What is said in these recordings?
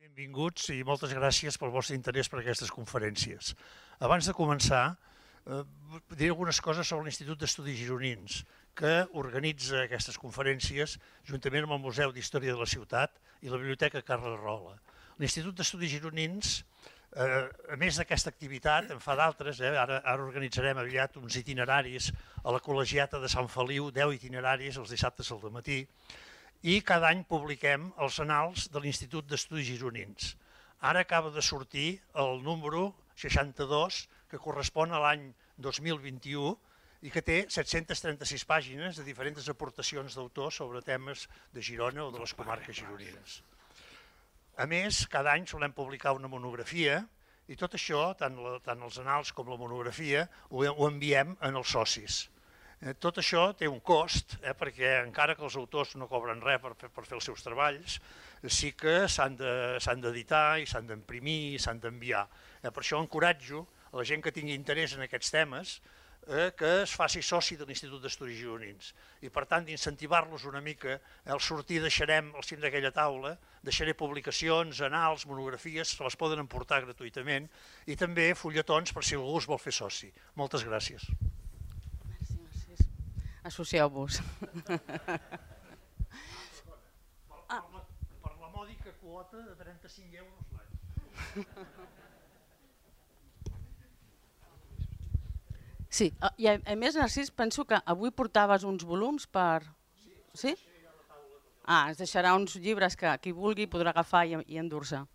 Benvinguts i moltes gràcies pel vostre interès per aquestes conferències. Abans de començar, diré algunes coses sobre l'Institut d'Estudis Gironins, que organitza aquestes conferències juntament amb el Museu d'Història de la Ciutat i la Biblioteca Carles Rola. L'Institut d'Estudis Gironins, a més d'aquesta activitat, en fa d'altres, ara organitzarem aviat uns itineraris a la Col·legiata de Sant Feliu, 10 itineraris els dissabtes al matí, i cada any publiquem els annals de l'Institut d'Estudis Gironins. Ara acaba de sortir el número 62, que correspon a l'any 2021 i que té 736 pàgines de diferents aportacions d'autors sobre temes de Girona o de les comarques gironines. A més, cada any solem publicar una monografia i tot això, tant els annals com la monografia, ho enviem als socis. Tot això té un cost, perquè encara que els autors no cobren res per fer els seus treballs, sí que s'han d'editar i s'han d'imprimir i s'han d'enviar. Per això encoratjo a la gent que tingui interès en aquests temes que es faci soci de l'Institut d'Estudis Gironins. I per tant, d'incentivar-los una mica, al sortir deixarem al cim d'aquella taula, deixaré publicacions, annals, monografies, se les poden emportar gratuïtament, i també fulletons per si algú es vol fer soci. Moltes gràcies. Associeu-vos. Per la mòdica quota de 35 euros l'any. Sí, i a més, Narcís, penso que avui portaves uns volums per... Sí? Es deixarà uns llibres que qui vulgui podrà agafar i endur-se.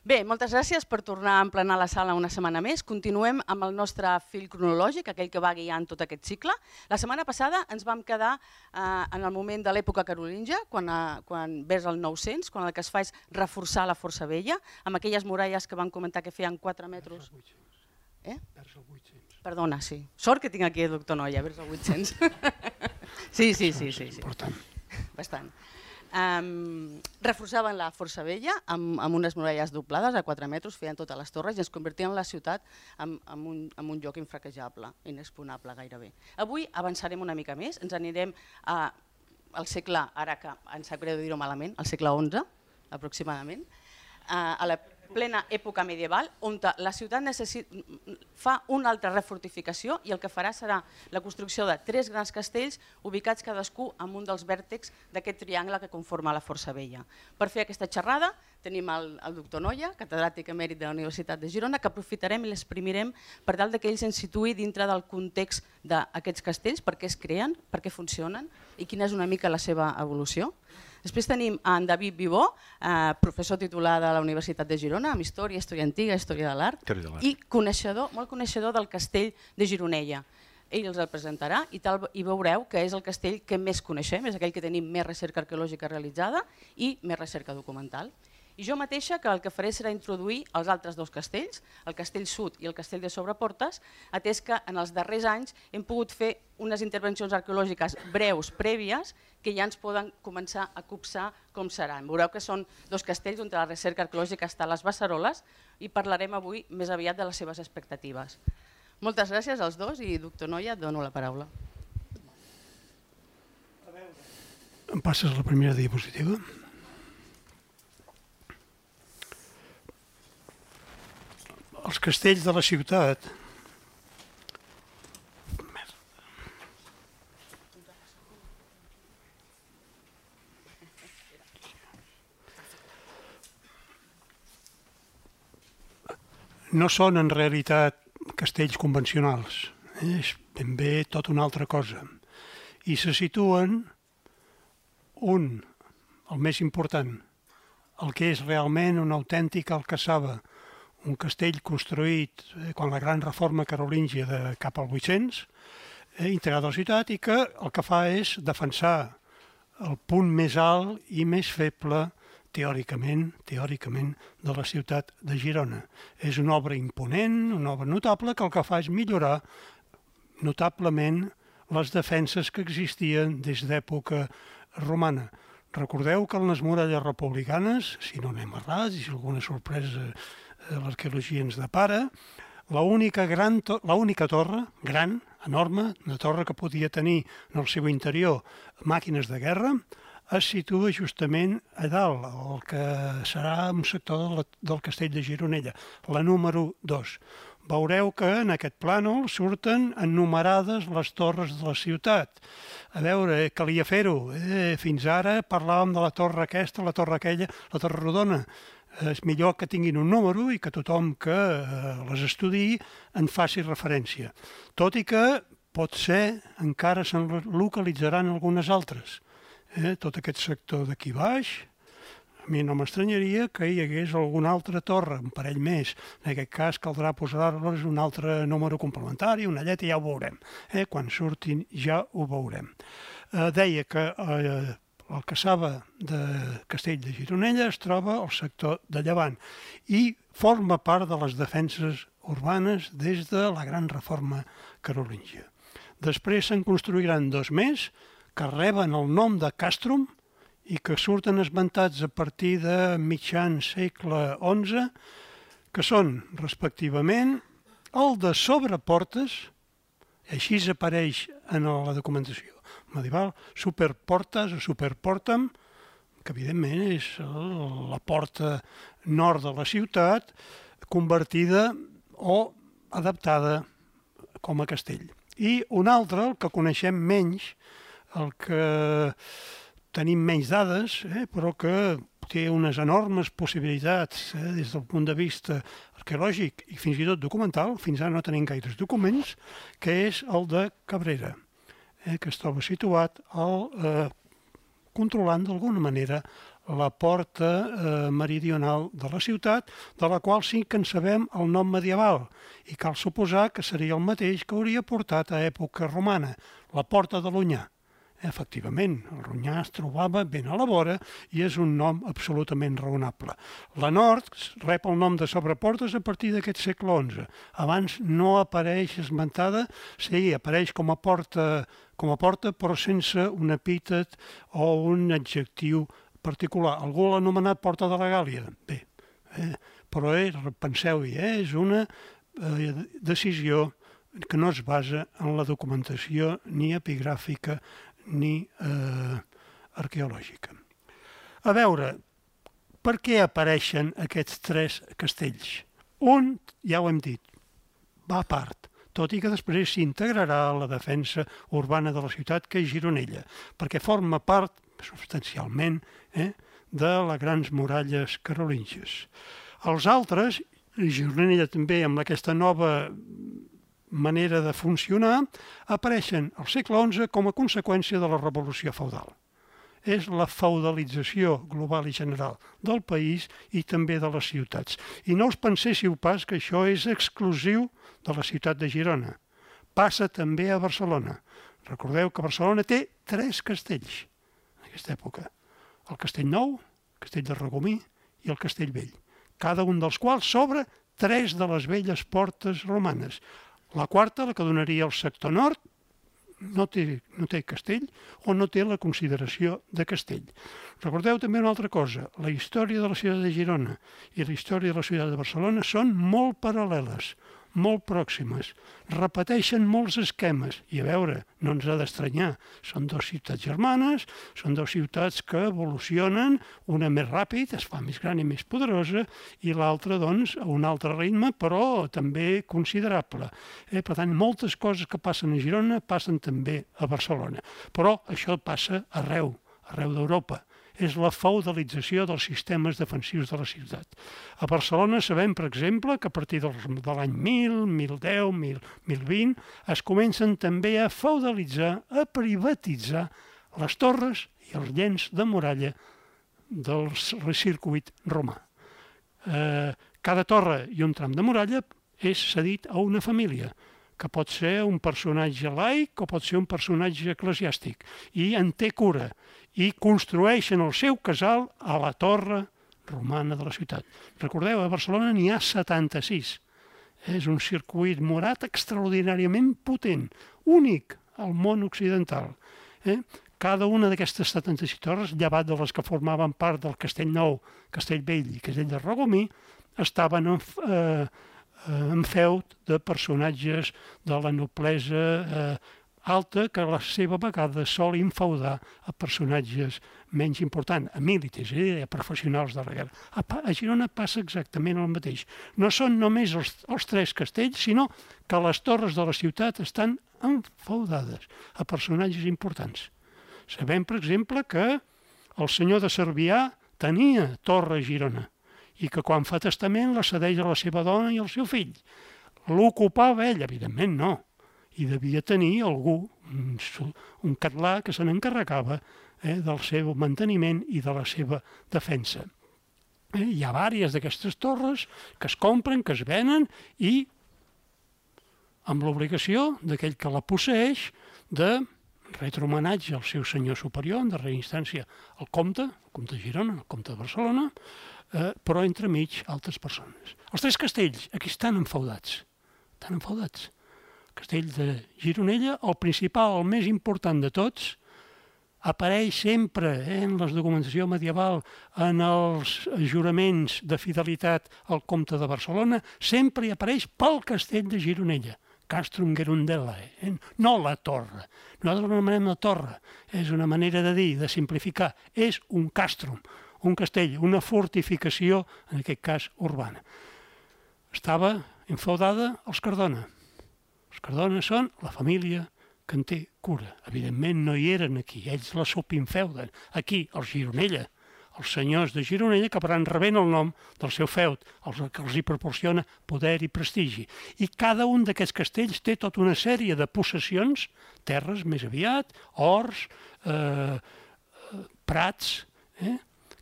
Bé, moltes gràcies per tornar a emplenar la sala una setmana més. Continuem amb el nostre fil cronològic, aquell que va guiant tot aquest cicle. La setmana passada ens vam quedar en el moment de l'època carolíngia, quan vers el 900, quan el que es fa és reforçar la força vella, amb aquelles muralles que van comentar que feien 4 metres. Vers el 800. Perdona, sí. Sort que tinc aquí el doctor Noia, vers el 800. Sí. Important. Bastant. Reforçaven la força vella amb unes muralles doblades a 4 metres, feien totes les torres i ens convertien la ciutat en un lloc infranquejable, inexpugnable gairebé. Avui avançarem una mica més, ens anirem al segle, ara que ens sap greu dir-ho malament, al segle XI aproximadament, a la plena època medieval, on la ciutat fa una altra refortificació i el que farà serà la construcció de 3 grans castells ubicats cadascú en un dels vèrtexs d'aquest triangle que conforma la força vella. Per fer aquesta xerrada tenim el doctor Noia, catedràtic emèrit de la Universitat de Girona, que aprofitarem i l'exprimirem per tal que ell se'ns situï dintre del context d'aquests castells, per què es creen, per què funcionen i quina és una mica la seva evolució. Després tenim en David Vivó, professor titular de la Universitat de Girona, amb història antiga, història de l'art, i molt coneixedor del castell de Gironella. Ell els el presentarà i veureu que és el castell que més coneixem, és aquell que tenim més recerca arqueològica realitzada i més recerca documental. I jo mateixa que el que faré serà introduir els altres 2 castells, el castell Sud i el castell de Sobreportes, atès que en els darrers anys hem pogut fer unes intervencions arqueològiques breus, prèvies, que ja ens poden començar a copsar com seran. Veureu que són 2 castells on la recerca arqueològica està a les beceroles i parlarem avui més aviat de les seves expectatives. Moltes gràcies als 2 i, doctor Noia, et dono la paraula. Em passes la primera diapositiva? Els castells de la ciutat no són en realitat castells convencionals, és ben bé tot una altra cosa. I se situen el més important, el que és realment una autèntica alcassaba, un castell construït quan la gran reforma carolíngia de cap al 800, integrat a la ciutat i que el que fa és defensar el punt més alt i més feble teòricament de la ciutat de Girona. És una obra imponent, una obra notable que el que fa és millorar notablement les defenses que existien des d'època romana. Recordeu que en les muralles republicanes, si no anem errats i si alguna sorpresa l'arqueologia ens depara, l'única torre, gran, enorme, una torre que podia tenir en el seu interior màquines de guerra, es situa justament a dalt, el que serà un sector del Castell de Gironella, la número 2. Veureu que en aquest plànol surten enumerades les torres de la ciutat. A veure, calia fer-ho. Fins ara parlàvem de la torre aquesta, la torre aquella, la torre rodona. És millor que tinguin un número i que tothom que les estudiï en faci referència. Tot i que pot ser encara se'n localitzaran algunes altres. Tot aquest sector d'aquí baix, a mi no m'estranyaria que hi hagués alguna altra torre, un parell més. En aquest cas caldrà posar-los un altre número complementari, una lletra, ja ho veurem. Quan surtin ja ho veurem. Deia que el Cassava de Castell de Gironella es troba al sector de Llevant i forma part de les defenses urbanes des de la gran reforma carolíngia. Després se'n construiran 2 més que reben el nom de càstrum i que surten esmentats a partir de mitjan segle XI, que són, respectivament, el de Sobreportes, així apareix en la documentació medieval, Superportes o Superportem, que evidentment és la porta nord de la ciutat, convertida o adaptada com a castell. I un altre, el que coneixem menys, el que tenim menys dades, però que té unes enormes possibilitats des del punt de vista arqueològic i fins i tot documental, fins ara no tenim gaires documents, que és el de Cabrera, que es troba situat controlant d'alguna manera la porta meridional de la ciutat, de la qual sí que en sabem el nom medieval, i cal suposar que seria el mateix que hauria portat a època romana, la Porta de l'Onyar. Efectivament, el Ronyà es trobava ben a la vora i és un nom absolutament raonable. La nord rep el nom de Sobreportes a partir d'aquest segle XI. Abans no apareix esmentada, sí, apareix com a porta, però sense un epítet o un adjectiu particular. Algú l'ha anomenat Porta de la Gàl·lia. Bé, però penseu-hi, és una decisió que no es basa en la documentació ni epigràfica ni arqueològica. A veure, per què apareixen aquests 3 castells? Un, ja ho hem dit, va a part, tot i que després s'integrarà a la defensa urbana de la ciutat, que és Gironella, perquè forma part, substancialment, de les grans muralles carolíngies. Els altres, Gironella també amb aquesta nova manera de funcionar, apareixen al segle XI com a conseqüència de la revolució feudal. És la feudalització global i general del país i també de les ciutats. I no us penséssiu pas que això és exclusiu de la ciutat de Girona. Passa també a Barcelona. Recordeu que Barcelona té 3 castells en aquesta època. El Castell Nou, el Castell de Regomir i el Castell Vell. Cada un dels quals s'obre 3 de les velles portes romanes. La quarta, la que donaria al sector nord, no té castell o no té la consideració de castell. Recordeu també una altra cosa, la història de la ciutat de Girona i la història de la ciutat de Barcelona són molt paral·leles, molt pròximes, repeteixen molts esquemes i a veure, no ens ha d'estranyar, són 2 ciutats germanes, són 2 ciutats que evolucionen, una més ràpid, es fa més gran i més poderosa i l'altra doncs a un altre ritme però també considerable. Per tant, moltes coses que passen a Girona passen també a Barcelona, però això passa arreu d'Europa. És la feudalització dels sistemes defensius de la ciutat. A Barcelona sabem, per exemple, que a partir de l'any 1000, 1010, 1020 es comencen també a feudalitzar, a privatitzar les torres i els llenç de muralla del circuit romà. Cada torre i un tram de muralla és cedit a una família, que pot ser un personatge laic o pot ser un personatge eclesiàstic, i en té cura, i construeixen el seu casal a la torre romana de la ciutat. Recordeu, a Barcelona n'hi ha 76. És un circuit murat extraordinàriament potent, únic al món occidental. Cada una d'aquestes 76 torres, llevat de les que formaven part del Castell Nou, Castell Vell i Castell de Regomir, estaven en feud de personatges de la noblesa alta que a la seva vegada sol infeudar a personatges menys important, a militars, a professionals de la guerra. A Girona passa exactament el mateix. No són només els 3 castells, sinó que les torres de la ciutat estan enfeudades a personatges importants. Sabem, per exemple, que el senyor de Cervià tenia torre a Girona i que quan fa testament la cedeix a la seva dona i al seu fill. L'ocupava ell, evidentment no, i devia tenir algú, un català que se n'encarregava del seu manteniment i de la seva defensa. Hi ha diverses d'aquestes torres que es compren, que es venen i amb l'obligació d'aquell que la posseeix de retre homenatge al seu senyor superior, en darrera instància el comte de Girona, el comte de Barcelona, però entremig altres persones. Els 3 castells aquí estan enfeudats. Estan enfeudats. El castell de Gironella, el principal, el més important de tots, apareix sempre en la documentació medieval, en els juraments de fidelitat al comte de Barcelona, sempre hi apareix pel castell de Gironella. Castrum Gerundella, no la torre. Nosaltres l'anomenem la torre. És una manera de dir, de simplificar. És un castrum, un castell, una fortificació, en aquest cas urbana. Estava enfeudada als Cardona. Els Cardona són la família que en té cura. Evidentment no hi eren aquí, ells la subinfeuden. Aquí, els Gironella, els senyors de Gironella acabaran rebent el nom del seu feud, que els hi proporciona poder i prestigi. I cada un d'aquests castells té tota una sèrie de possessions, terres més aviat, horts, prats,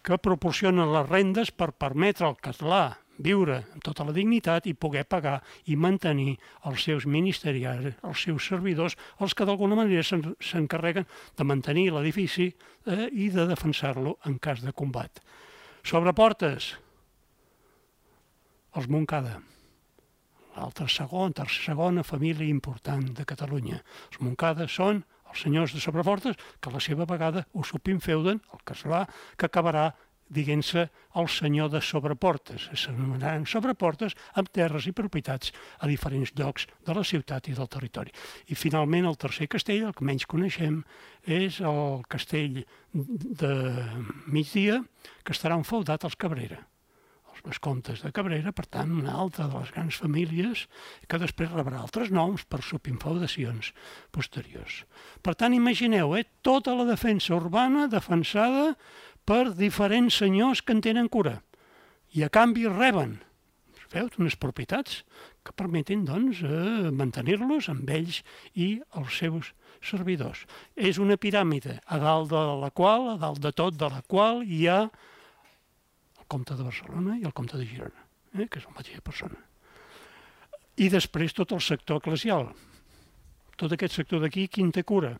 que proporcionen les rendes per permetre al català viure amb tota la dignitat i poder pagar i mantenir els seus ministerials, els seus servidors, els que d'alguna manera s'encarreguen de mantenir l'edifici i de defensar-lo en cas de combat. Sobre portes, els Montcada, l'altra segona família important de Catalunya. Els Montcada són els senyors de Sobreportes que a la seva vegada ho subinfeuden, el casolà, que acabarà diguent-se el senyor de Sobreportes. S'anomenaran Sobreportes amb terres i propietats a diferents llocs de la ciutat i del territori. I finalment el tercer castell, el que menys coneixem, és el castell de Migdia, que estarà enfeudat als Cabrera. Els vescomtes de Cabrera, per tant, una altra de les grans famílies que després rebrà altres noms per subinfeudacions posteriors. Per tant, imagineu, tota la defensa urbana defensada per diferents senyors que en tenen cura i a canvi reben unes propietats que permeten doncs, mantenir-los amb ells i els seus servidors. És una piràmide a dalt de tot de la qual hi ha el comte de Barcelona i el comte de Girona, que és la mateixa persona. I després tot el sector eclesial. Tot aquest sector d'aquí, qui en té cura?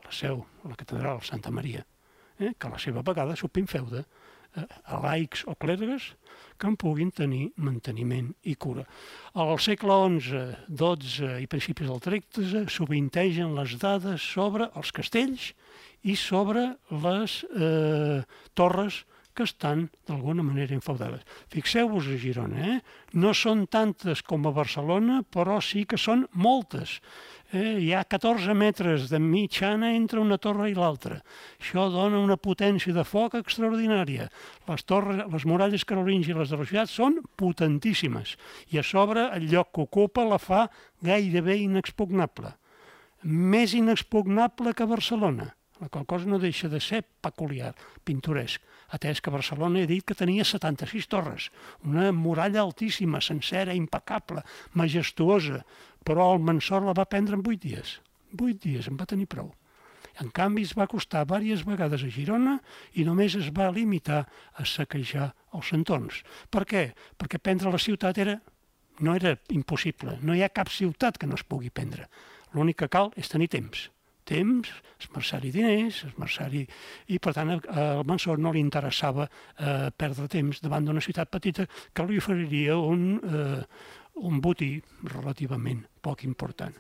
La seu, la catedral, Santa Maria, que a la seva vegada subinfeuda a laics o clergues que en puguin tenir manteniment i cura. Al segle XI, XII i principis del XIII sovintegen les dades sobre els castells i sobre les torres que estan d'alguna manera enfeudades. Fixeu-vos a Girona, no són tantes com a Barcelona, però sí que són moltes. Hi ha 14 metres de mitjana entre una torre i l'altra. Això dona una potència de foc extraordinària. Les muralles carolíngies i les de la ciutat són potentíssimes i a sobre el lloc que ocupa la fa gairebé inexpugnable. Més inexpugnable que Barcelona, la qual cosa no deixa de ser peculiar, pintoresc, atès que Barcelona he dit que tenia 76 torres, una muralla altíssima, sencera, impecable, majestuosa, però el Mansour la va prendre en 8 dies. 8 dies, en va tenir prou. En canvi, es va costar diverses vegades a Girona i només es va limitar a saquejar els entorns. Per què? Perquè prendre la ciutat no era impossible. No hi ha cap ciutat que no es pugui prendre. L'únic que cal és tenir temps. Esmerçar-hi diners, i per tant al Mansour no li interessava perdre temps davant d'una ciutat petita que li oferiria un botí relativament poc important.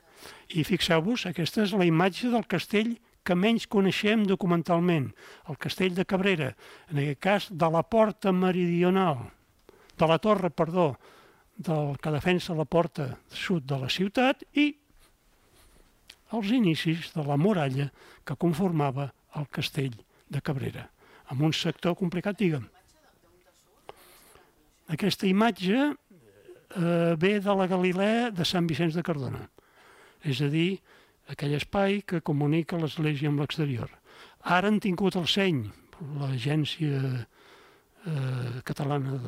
I fixeu-vos, aquesta és la imatge del castell que menys coneixem documentalment, el castell de Cabrera, en aquest cas de la porta meridional, de la torre, que defensa la porta sud de la ciutat i els inicis de la muralla que conformava el castell de Cabrera, en un sector complicat, digue'm. Aquesta imatge ve de la Galilea de Sant Vicenç de Cardona, és a dir, aquell espai que comunica l'església amb l'exterior. Ara han tingut el seny, l'Agència Catalana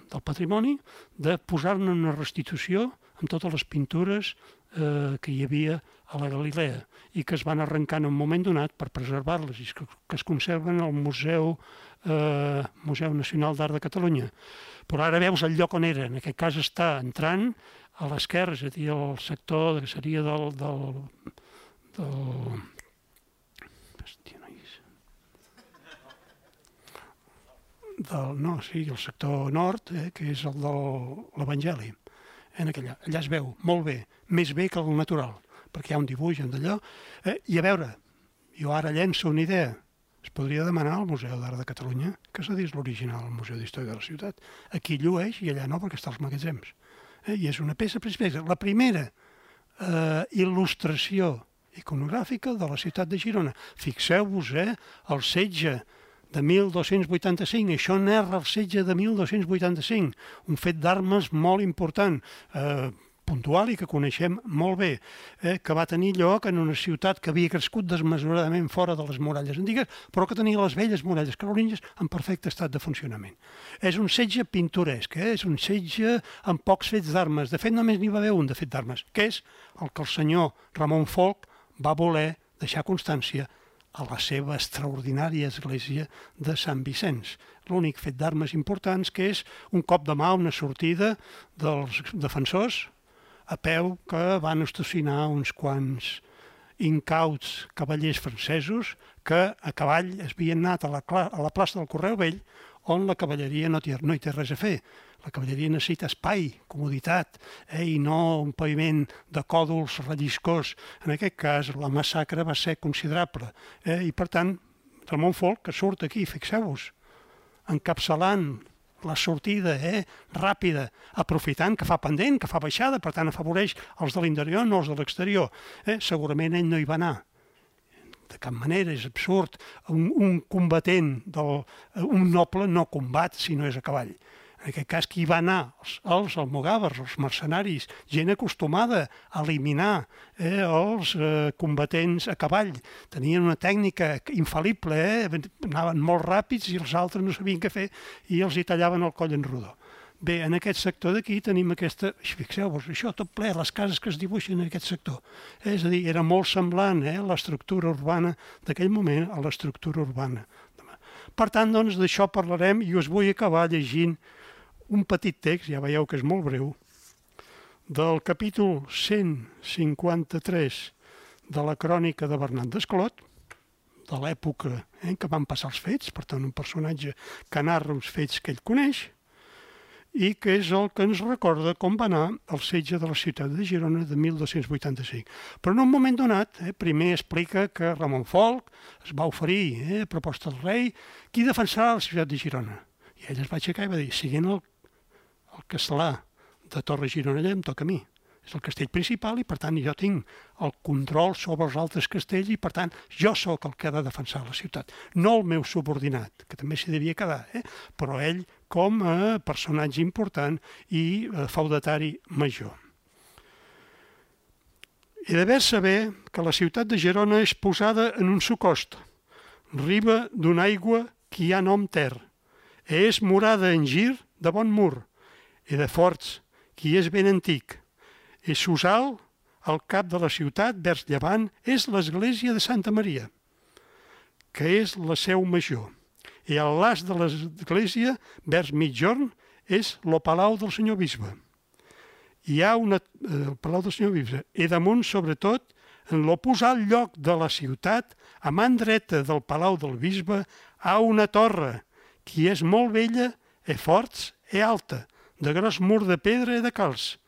del Patrimoni, de posar-ne una restitució amb totes les pintures que hi havia a la Galilea i que es van arrencar en un moment donat per preservar-les i que es conserven al Museu Nacional d'Art de Catalunya. Però ara veus el lloc on era, en aquest cas està entrant a l'esquerra, és a dir, el sector que seria el sector nord, que és el de l'Evangeli. Allà es veu molt bé, més bé que el natural, perquè hi ha un dibuix d'allò. I a veure, jo ara llenço una idea. Es podria demanar al Museu d'Art de Catalunya que cedís l'original al Museu d'Història de la Ciutat. Aquí llueix i allà no, perquè està als magatzems. I és una peça preciosa. La primera il·lustració iconogràfica de la ciutat de Girona. Fixeu-vos, el setge de 1285, això narra el setge de 1285, un fet d'armes molt important, puntual i que coneixem molt bé, que va tenir lloc en una ciutat que havia crescut desmesuradament fora de les muralles antigues, però que tenia les velles muralles carolíngies en perfecte estat de funcionament. És un setge pintoresc, és un setge amb pocs fets d'armes. De fet, només n'hi va haver un de fet d'armes, que és el que el senyor Ramon Folc va voler deixar constància a la seva extraordinària església de Sant Vicenç. L'únic fet d'armes importants que és un cop de mà, una sortida dels defensors a peu que van estacionar uns quants incauts cavallers francesos que a cavall es havien anat a la plaça del Correu Vell, on la cavalleria no hi té res a fer. La cavalleria necessita espai, comoditat, i no un paviment de còdols relliscós. En aquest cas, la massacre va ser considerable. I, per tant, Ramon Folc, que surt aquí, fixeu-vos, encapçalant la sortida ràpida, aprofitant que fa pendent, que fa baixada, per tant, afavoreix els de l'interior, no els de l'exterior. Segurament ell no hi va anar. De cap manera, és absurd. Un combatent, un noble no combat si no és a cavall. En aquest cas, qui va anar? Els almogàvers, els mercenaris, gent acostumada a eliminar els combatents a cavall. Tenien una tècnica infal·lible, anaven molt ràpids i els altres no sabien què fer i els hi tallaven el coll en rodó. Bé, en aquest sector d'aquí tenim aquesta... Fixeu-vos, això tot ple, les cases que es dibuixen en aquest sector. És a dir, era molt semblant l'estructura urbana d'aquell moment a l'estructura urbana. Per tant, doncs, d'això parlarem i us vull acabar llegint un petit text, ja veieu que és molt breu, del capítol 153 de la crònica de Bernat Desclot, de l'època que van passar els fets, per tant un personatge que narra uns fets que ell coneix, i que és el que ens recorda com va anar el setge de la ciutat de Girona de 1285. Però en un moment donat, primer explica que Ramon Folc es va oferir a proposta del rei qui defensarà la ciutat de Girona. I ell es va aixecar i va dir, siguent el castlà de Torre Gironella em toca a mi. És el castell principal i, per tant, jo tinc el control sobre els altres castells i, per tant, jo sóc el que ha de defensar la ciutat. No el meu subordinat, que també s'hi devia quedar, però ell com a personatge important i feudatari major. He d'haver saber que la ciutat de Girona és posada en un socost, riba d'una aigua que hi ha nom ter, és morada en gir de bon mur, i de forts, qui és ben antic. I Susal, al cap de la ciutat, vers llevant, és l'església de Santa Maria, que és la seu major. I al las de l'església, vers mitjorn, és lo palau del senyor bisbe. Hi ha el palau del senyor bisbe. I damunt, sobretot, en l'oposat lloc de la ciutat, a man dreta del palau del bisbe, hi ha una torre, que és molt vella, forts i alta, de gros mur de pedra i de calç.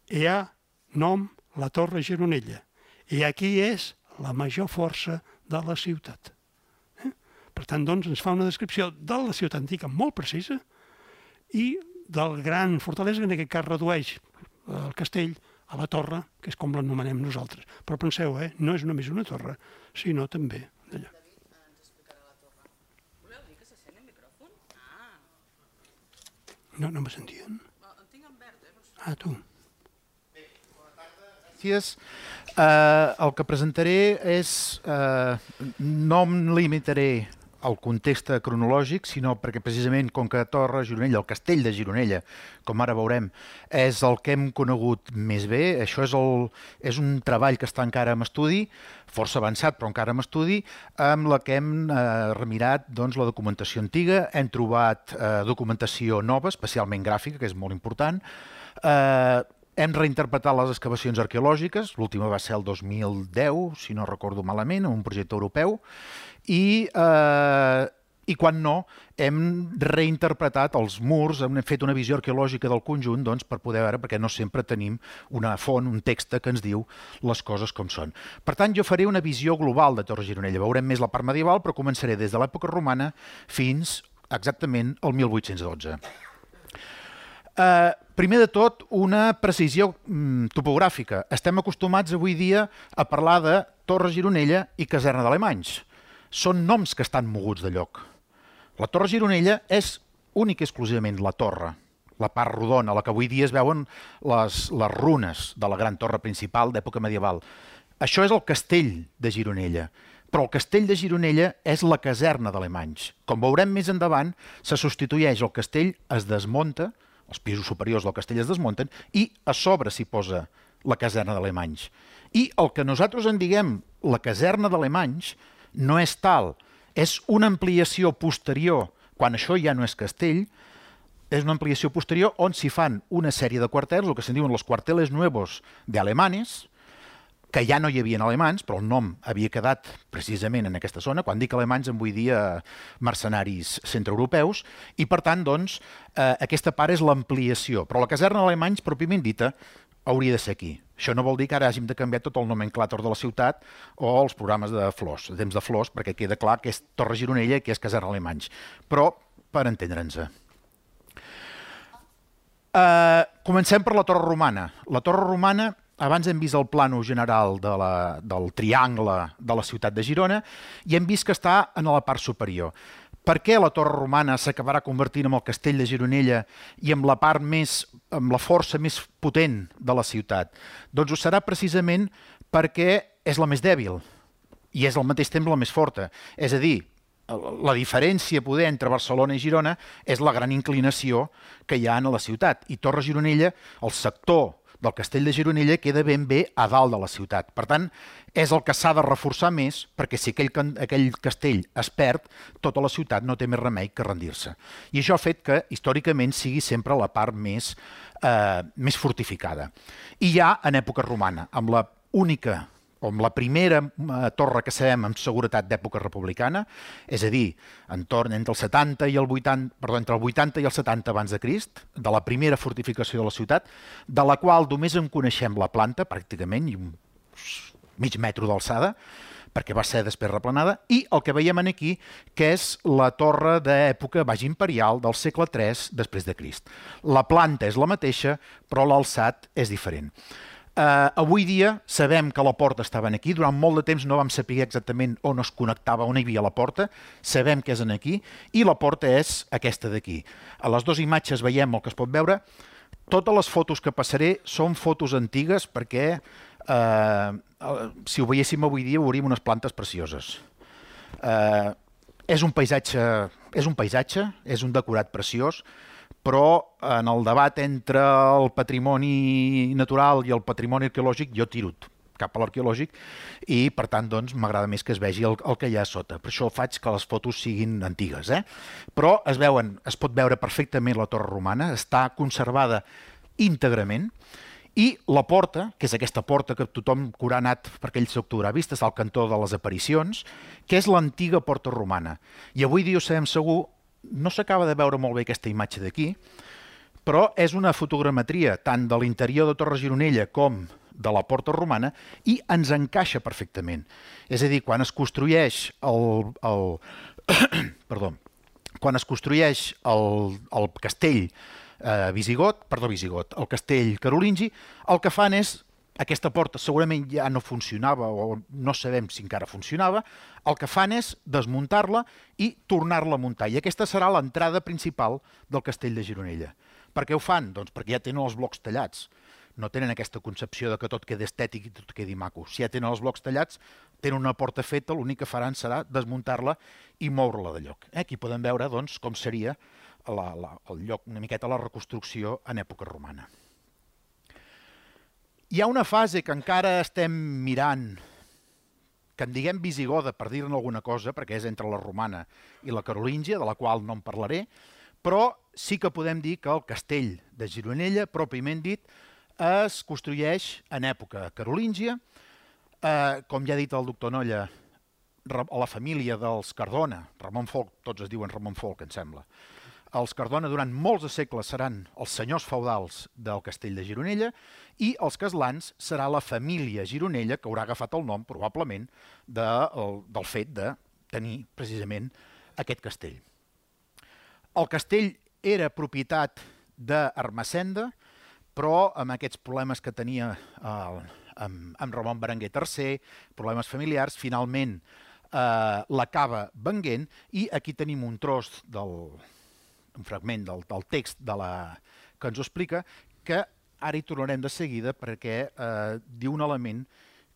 Hi ha nom la Torre Gironella. I aquí és la major força de la ciutat. Per tant, doncs, ens fa una descripció de la ciutat antiga molt precisa i del gran fortalesa, que en aquest cas redueix el castell a la torre, que és com l'anomenem nosaltres. Però penseu, no és només una torre, sinó també d'allò. No me sentien? El tinc en verd, Ah, tu. Gràcies. El que presentaré és... no em limitaré al context cronològic, sinó perquè precisament com que Torre Gironella, el castell de Gironella, com ara veurem, és el que hem conegut més bé. Això és un treball que està encara en estudi, força avançat però encara en estudi, amb la que hem remirat la documentació antiga, hem trobat documentació nova, especialment gràfica, que és molt important, hem reinterpretat les excavacions arqueològiques, l'última va ser el 2010, si no recordo malament, un projecte europeu, i quan no, hem reinterpretat els murs, hem fet una visió arqueològica del conjunt per poder veure, perquè no sempre tenim una font, un text que ens diu les coses com són. Per tant, jo faré una visió global de Torre Gironella. Veurem més la part medieval, però començaré des de l'època romana fins exactament al 1812. Primer de tot, una precisió topogràfica. Estem acostumats avui dia a parlar de Torre Gironella i caserna d'Alemanys. Són noms que estan moguts de lloc. La Torre Gironella és única i exclusivament la torre, la part rodona, la que avui dia es veuen les runes de la gran torre principal d'època medieval. Això és el castell de Gironella, però el castell de Gironella és la caserna d'Alemanys. Com veurem més endavant, se substitueix el castell, es desmunta, els pisos superiors del castell es desmunten i a sobre s'hi posa la caserna d'Alemanys. I el que nosaltres en diguem la caserna d'Alemanys no és tal, és una ampliació posterior, quan això ja no és castell, és una ampliació posterior on s'hi fan una sèrie de quarters, el que se'n diuen los cuarteles nuevos de alemanes, que ja no hi havia alemans, però el nom havia quedat precisament en aquesta zona. Quan dic alemanys em vull dir mercenaris centreeuropeus, i per tant, doncs, aquesta part és l'ampliació. Però la caserna d'alemanys, pròpiament dita, hauria de ser aquí. Això no vol dir que ara hàgim de canviar tot el nomenclàtor de la ciutat o els programes de flors, de temps de flors, perquè queda clar que és Torre Gironella i que és caserna d'alemanys. Però, per entendre'ns. Comencem per la Torre Romana. La Torre Romana, abans hem vist el plano general del triangle de la ciutat de Girona i hem vist que està en la part superior. Per què la Torre Romana s'acabarà convertint en el castell de Gironella i amb la part més, amb la força més potent de la ciutat? Doncs ho serà precisament perquè és la més dèbil i és al mateix temps la més forta. És a dir, la diferència poder entre Barcelona i Girona és la gran inclinació que hi ha a la ciutat. I Torre Gironella, el sector del castell de Gironella, queda ben bé a dalt de la ciutat. Per tant, és el que s'ha de reforçar més, perquè si aquell castell es perd, tota la ciutat no té més remei que rendir-se. I això ha fet que, històricament, sigui sempre la part més fortificada. I ja en època romana, amb la única o amb la primera torre que sabem amb seguretat d'època republicana, és a dir, entre el 80 i el 80, perdó, entre el 80 i el 70 abans de Crist, de la primera fortificació de la ciutat, de la qual només en coneixem la planta, pràcticament, i mig metro d'alçada, perquè va ser després replanada, i el que veiem aquí, que és la torre d'època baix imperial del segle III després de Crist. La planta és la mateixa, però l'alçat és diferent. Avui dia sabem que la porta estava aquí, durant molt de temps no vam saber exactament on es connectava, on hi havia la porta, sabem que és aquí, i la porta és aquesta d'aquí. A les dues imatges veiem el que es pot veure. Totes les fotos que passaré són fotos antigues perquè si ho veiéssim avui dia veuríem unes plantes precioses. És un paisatge, és un decorat preciós, però en el debat entre el patrimoni natural i el patrimoni arqueològic jo tiro cap a l'arqueològic i per tant doncs m'agrada més que es vegi el que hi ha a sota. Per això faig que les fotos siguin antigues. Però es pot veure perfectament la torre romana, està conservada íntegrament i la porta, que és aquesta porta que tothom que haurà anat per aquell sector haurà vist, és al cantó de les aparicions, que és l'antiga porta romana. I avui dia ho sabem segur, no s'acaba de veure molt bé aquesta imatge d'aquí, però és una fotogrametria tant de l'interior de Torre Gironella com de la porta romana i ens encaixa perfectament. És a dir, quan es construeix quan es construeix el castell el castell carolingi, el que fan és aquesta porta segurament ja no funcionava o no sabem si encara funcionava, el que fan és desmuntar-la i tornar-la a muntar. I aquesta serà l'entrada principal del castell de Gironella. Per què ho fan? Doncs perquè ja tenen els blocs tallats. No tenen aquesta concepció de que tot quedi estètic i tot quedi maco. Si ja tenen els blocs tallats, tenen una porta feta, l'únic que faran serà desmuntar-la i moure-la de lloc. Aquí podem veure doncs, com seria el lloc, una miqueta la reconstrucció en època romana. Hi ha una fase que encara estem mirant, que en diguem visigoda, per dir-ne alguna cosa, perquè és entre la romana i la carolíngia, de la qual no en parlaré, però sí que podem dir que el castell de Gironella, pròpiament dit, es construeix en època carolíngia. Com ja ha dit el doctor Nolla, la família dels Cardona, Ramon Folc, tots es diuen Ramon Folc, em sembla. Els Cardona durant molts de segles seran els senyors feudals del castell de Gironella i els Caslans serà la família Gironella que haurà agafat el nom, probablement, del fet de tenir precisament aquest castell. El castell era propietat d'Ermessenda, però amb aquests problemes que tenia amb Ramon Berenguer III, problemes familiars, finalment l'acaba venguent i aquí tenim un tros un fragment del text que ens ho explica, que ara hi tornarem de seguida perquè diu un element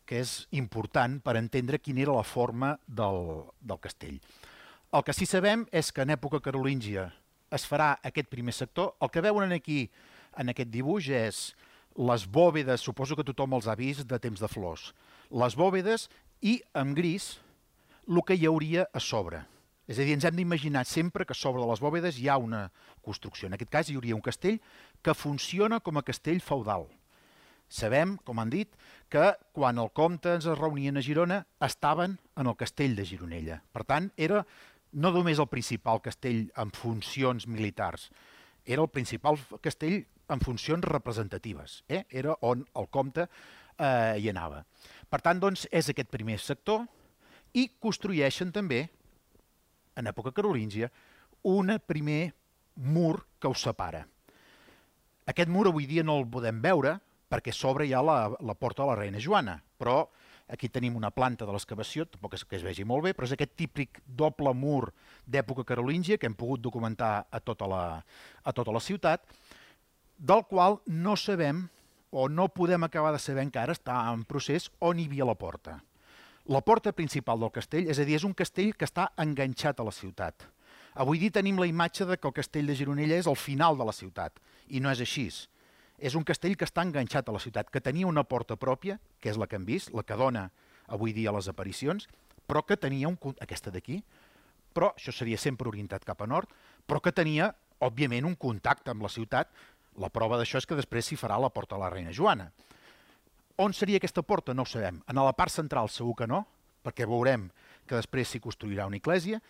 que és important per entendre quina era la forma del castell. El que sí sabem és que en època carolíngia es farà aquest primer sector. El que veuen aquí en aquest dibuix és les bòvedes, suposo que tothom els ha vist, de temps de flors. Les bòvedes i, en gris, el que hi hauria a sobre. És a dir, ens hem d'imaginar sempre que sobre de les bòvedes hi ha una construcció. En aquest cas hi hauria un castell que funciona com a castell feudal. Sabem, com han dit, que quan el comte ens reunien a Girona estaven en el castell de Gironella. Per tant, era no només el principal castell en funcions militars, era el principal castell en funcions representatives. Era on el comte hi anava. Per tant, doncs, és aquest primer sector i construeixen també, en època carolíngia, un primer mur que ho separa. Aquest mur avui dia no el podem veure perquè a sobre hi ha la porta de la reina Joana, però aquí tenim una planta de l'excavació, tampoc és que es vegi molt bé, però és aquest típic doble mur d'època carolíngia que hem pogut documentar a tota la ciutat, del qual no sabem o no podem acabar de saber encara, està en procés, on hi havia la porta. La porta principal del castell, és a dir, és un castell que està enganxat a la ciutat. Avui dia tenim la imatge de que el castell de Gironella és al final de la ciutat, i no és així. És un castell que està enganxat a la ciutat, que tenia una porta pròpia, que és la que hem vist, la que dona avui dia les aparicions, però que tenia aquesta d'aquí, però això seria sempre orientat cap a nord, però que tenia, òbviament, un contacte amb la ciutat. La prova d'això és que després s'hi farà la porta de la reina Joana. On seria aquesta porta? No ho sabem. En la part central segur que no, perquè veurem que després s'hi construirà una església,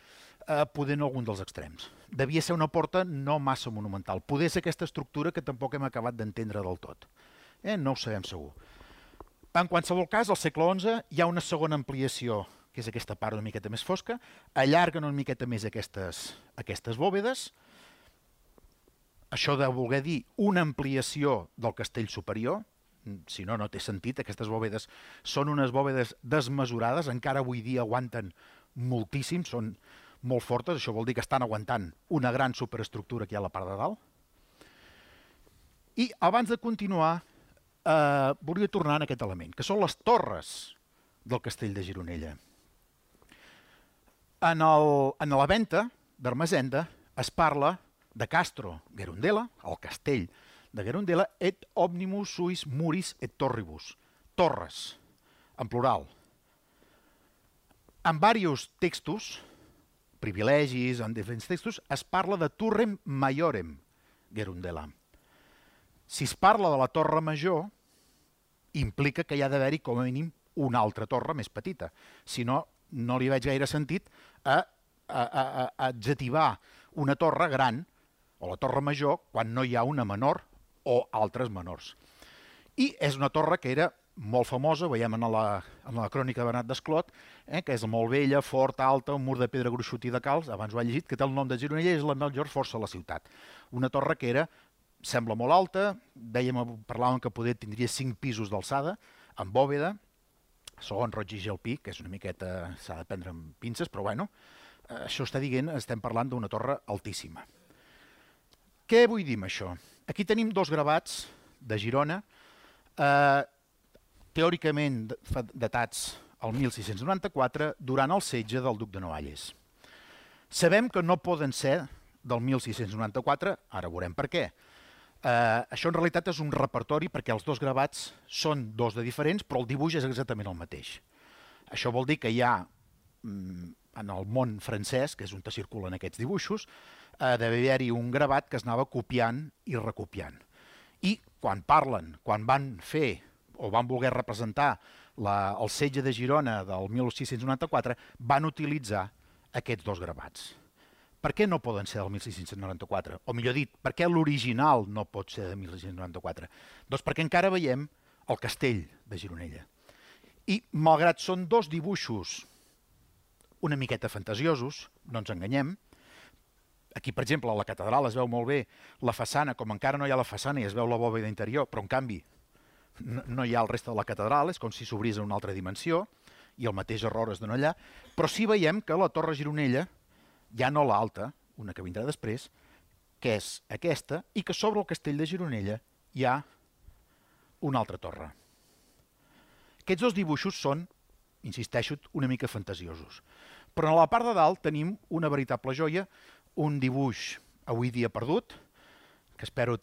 poder en algun dels extrems. Devia ser una porta no massa monumental. Poder ser aquesta estructura que tampoc hem acabat d'entendre del tot. No ho sabem segur. En qualsevol cas, al segle XI hi ha una segona ampliació, que és aquesta part una miqueta més fosca, allarguen una miqueta més aquestes bòvedes. Això de voler dir una ampliació del castell superior, si no, no té sentit. Aquestes bòvedes són unes bòvedes desmesurades, encara avui dia aguanten moltíssim, són molt fortes, això vol dir que estan aguantant una gran superestructura que hi ha a la part de dalt. I abans de continuar, volia tornar en aquest element, que són les torres del castell de Gironella. En la venta d'Ermessenda es parla de Castro Gerundella, el castell de Gerundella, et omnimus suis muris et torribus, torres, en plural. En diversos textos, privilegis, en diferents textos, es parla de Turrem Maiorem Gerundella. Si es parla de la torre major, implica que hi ha d'haver-hi com a mínim una altra torre més petita. Si no, no li veig gaire sentit a adjetivar una torre gran o la torre major quan no hi ha una menor o altres menors. I és una torre que era molt famosa, veiem en la crònica de Bernat d'Esclot, que és molt vella, forta, alta, un mur de pedra gruixut i de calç, abans ho he llegit, que té el nom de Gironella i és la major força de la ciutat. Una torre que era sembla molt alta, parlàvem que poder tindria 5 pisos d'alçada, amb bòveda, segons Roig i Gelpi, que és una miqueta, s'ha de prendre amb pinces, però bueno, això està dient, estem parlant d'una torre altíssima. Què vull dir amb això? Aquí tenim 2 gravats de Girona, teòricament datats al 1694, durant el setge del duc de Noailles. Sabem que no poden ser del 1694, ara veurem per què. Això en realitat és un repertori perquè els 2 gravats són 2 de diferents, però el dibuix és exactament el mateix. Això vol dir que hi ha, en el món francès, que és on circulen aquests dibuixos, d'haver haver-hi un gravat que es anava copiant i recopiant. I quan parlen, quan van fer o van voler representar el setge de Girona del 1694, van utilitzar aquests 2 gravats. Per què no poden ser del 1694? O millor dit, per què l'original no pot ser de 1694? Doncs perquè encara veiem el castell de Gironella. I malgrat són 2 dibuixos una miqueta fantasiosos, no ens enganyem, aquí, per exemple, a la catedral es veu molt bé la façana, com encara no hi ha la façana i es veu la bòveda interior, però en canvi no hi ha el reste de la catedral, és com si s'obrís a una altra dimensió, i el mateix error es dona allà, però sí veiem que la torre Gironella, ja no l'alta, una que vindrà després, que és aquesta, i que sobre el castell de Gironella hi ha una altra torre. Aquests 2 dibuixos són, insisteixo, una mica fantasiosos. Però a la part de dalt tenim una veritable joia, un dibuix avui dia perdut, que espero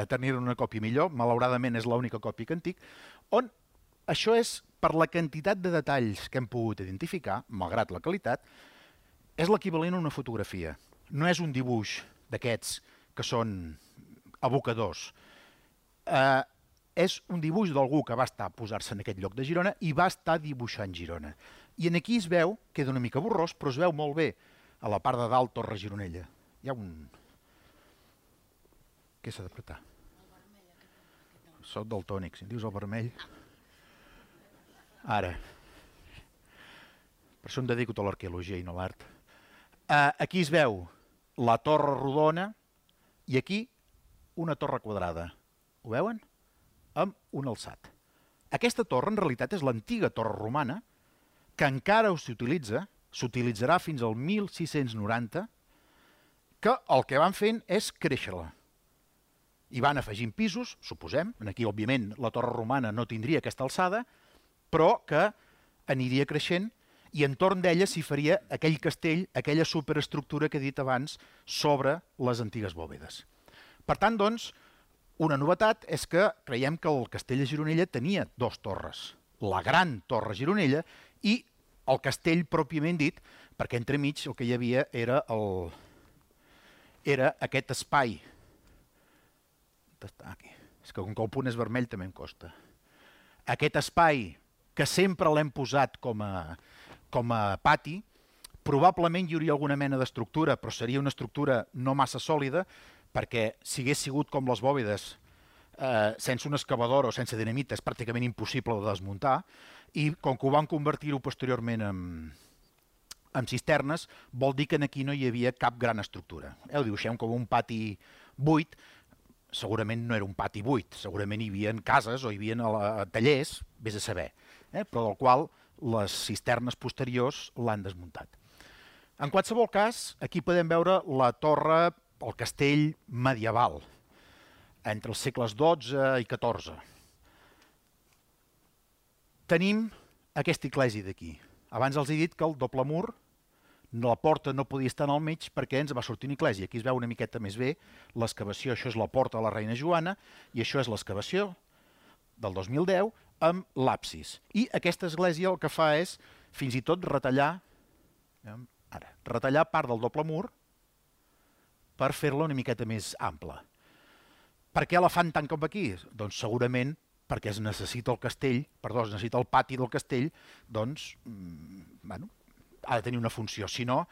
tenir una còpia millor, malauradament és l'única còpia que en tinc, on això és, per la quantitat de detalls que hem pogut identificar, malgrat la qualitat, és l'equivalent a una fotografia. No és un dibuix d'aquests que són abocadors. És un dibuix d'algú que va estar a posar-se en aquest lloc de Girona i va estar dibuixant Girona. I aquí es veu, queda una mica borrós, però es veu molt bé a la part de dalt Torre Gironella. Hi ha un... Què s'ha d'apretar? Soc daltònic, si em dius el vermell... Ara. Per això em dedico a l'arqueologia i no a l'art. Aquí es veu la torre rodona i aquí una torre quadrada. Ho veuen? Amb un alçat. Aquesta torre en realitat és l'antiga torre romana que encara s'utilitza, s'utilitzarà fins al 1690, que el que van fent és créixer-la. I van afegint pisos, suposem, aquí òbviament la torre romana no tindria aquesta alçada, però que aniria creixent i entorn d'ella s'hi faria aquell castell, aquella superestructura que he dit abans sobre les antigues bòvedes. Per tant, doncs, una novetat és que creiem que el castell de Gironella tenia 2 torres. La gran torre Gironella i el castell pròpiament dit, perquè entremig el que hi havia era aquest espai. Aquí. És que com que el punt és vermell també em costa. Aquest espai que sempre l'hem posat com a pati, probablement hi hauria alguna mena d'estructura, però seria una estructura no massa sòlida, perquè si hagués sigut com les bòvedes, sense una excavadora o sense dinamita, és pràcticament impossible de desmuntar, i com que ho van convertir-ho posteriorment en cisternes, vol dir que aquí no hi havia cap gran estructura. Ho dibuixem com un pati buit, segurament no era un pati buit, segurament hi havia cases o hi havia tallers, vés a saber, però del qual les cisternes posteriors l'han desmuntat. En qualsevol cas, aquí podem veure la torre, el castell medieval, entre els segles XII i XIV. Tenim aquesta església d'aquí. Abans els he dit que el doble mur, la porta no podia estar al mig perquè ens va sortir una església. Aquí es veu una miqueta més bé l'excavació. Això és la porta de la Reina Joana i això és l'excavació del 2010 amb l'absis. I aquesta església el que fa és fins i tot retallar part del doble mur per fer-la una miqueta més ampla. Per què la fan tant com aquí? Doncs segurament perquè es necessita el castell, perdó, es necessita el pati del castell, doncs, bueno, ha de tenir una funció. Si no,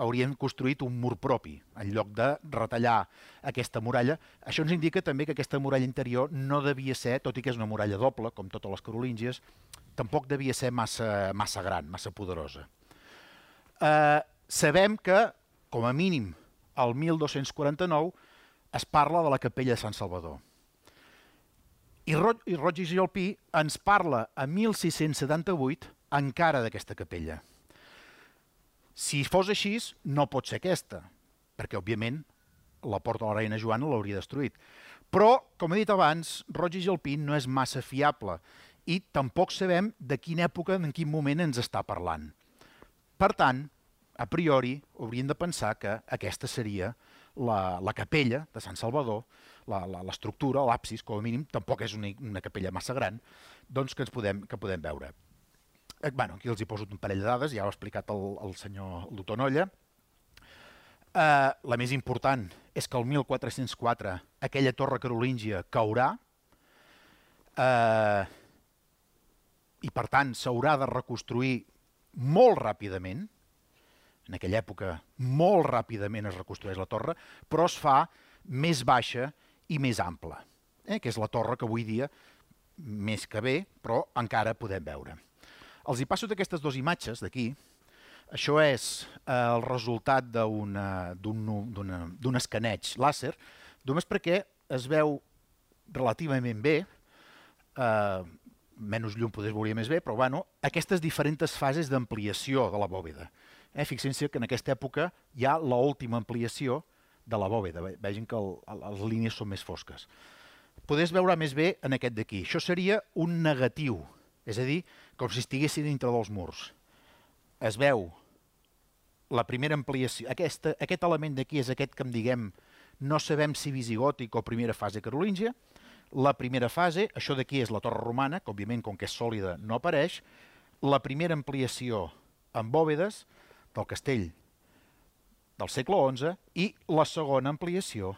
haurien construït un mur propi en lloc de retallar aquesta muralla. Això ens indica també que aquesta muralla interior no devia ser, tot i que és una muralla doble, com totes les carolíngies, tampoc devia ser massa gran, massa poderosa. Sabem que, com a mínim, el 1249 es parla de la capella de Sant Salvador. I Roig i Gelpí ens parla a 1678 encara d'aquesta capella. Si fos així, no pot ser aquesta, perquè, òbviament, la porta de la reina Joana l'hauria destruït. Però, com he dit abans, Roig i Gelpí no és massa fiable i tampoc sabem de quina època, en quin moment ens està parlant. Per tant, a priori, hauríem de pensar que aquesta seria la capella de Sant Salvador, l'estructura, l'absis, com a mínim, tampoc és una capella massa gran, doncs que podem veure. Aquí els hi poso un parell de dades, ja ho ha explicat el senyor doctor Nolla. La més important és que el 1404 aquella torre carolíngia caurà i, per tant, s'haurà de reconstruir molt ràpidament. En aquella època, molt ràpidament es reconstrueix la torre, però es fa més baixa i més ampla, que és la torre que avui dia, més que bé, però encara podem veure. Els hi passo d'aquestes dues imatges d'aquí. Això és el resultat d'un escaneig làser, només perquè es veu relativament bé, menys llum potser es veuria més bé, però bueno, aquestes diferents fases d'ampliació de la bòveda. Fixin-se que en aquesta època hi ha l'última ampliació de la bòveda. Vegin que les línies són més fosques. Podeu veure més bé en aquest d'aquí. Això seria un negatiu, és a dir, com si estiguessin dintre dels murs. Es veu la primera ampliació. Aquest element d'aquí és aquest que diguem, no sabem si visigòtic o primera fase carolíngia. La primera fase, això d'aquí és la torre romana, que òbviament com que és sòlida no apareix. La primera ampliació amb bòvedes del castell del segle XI i la segona ampliació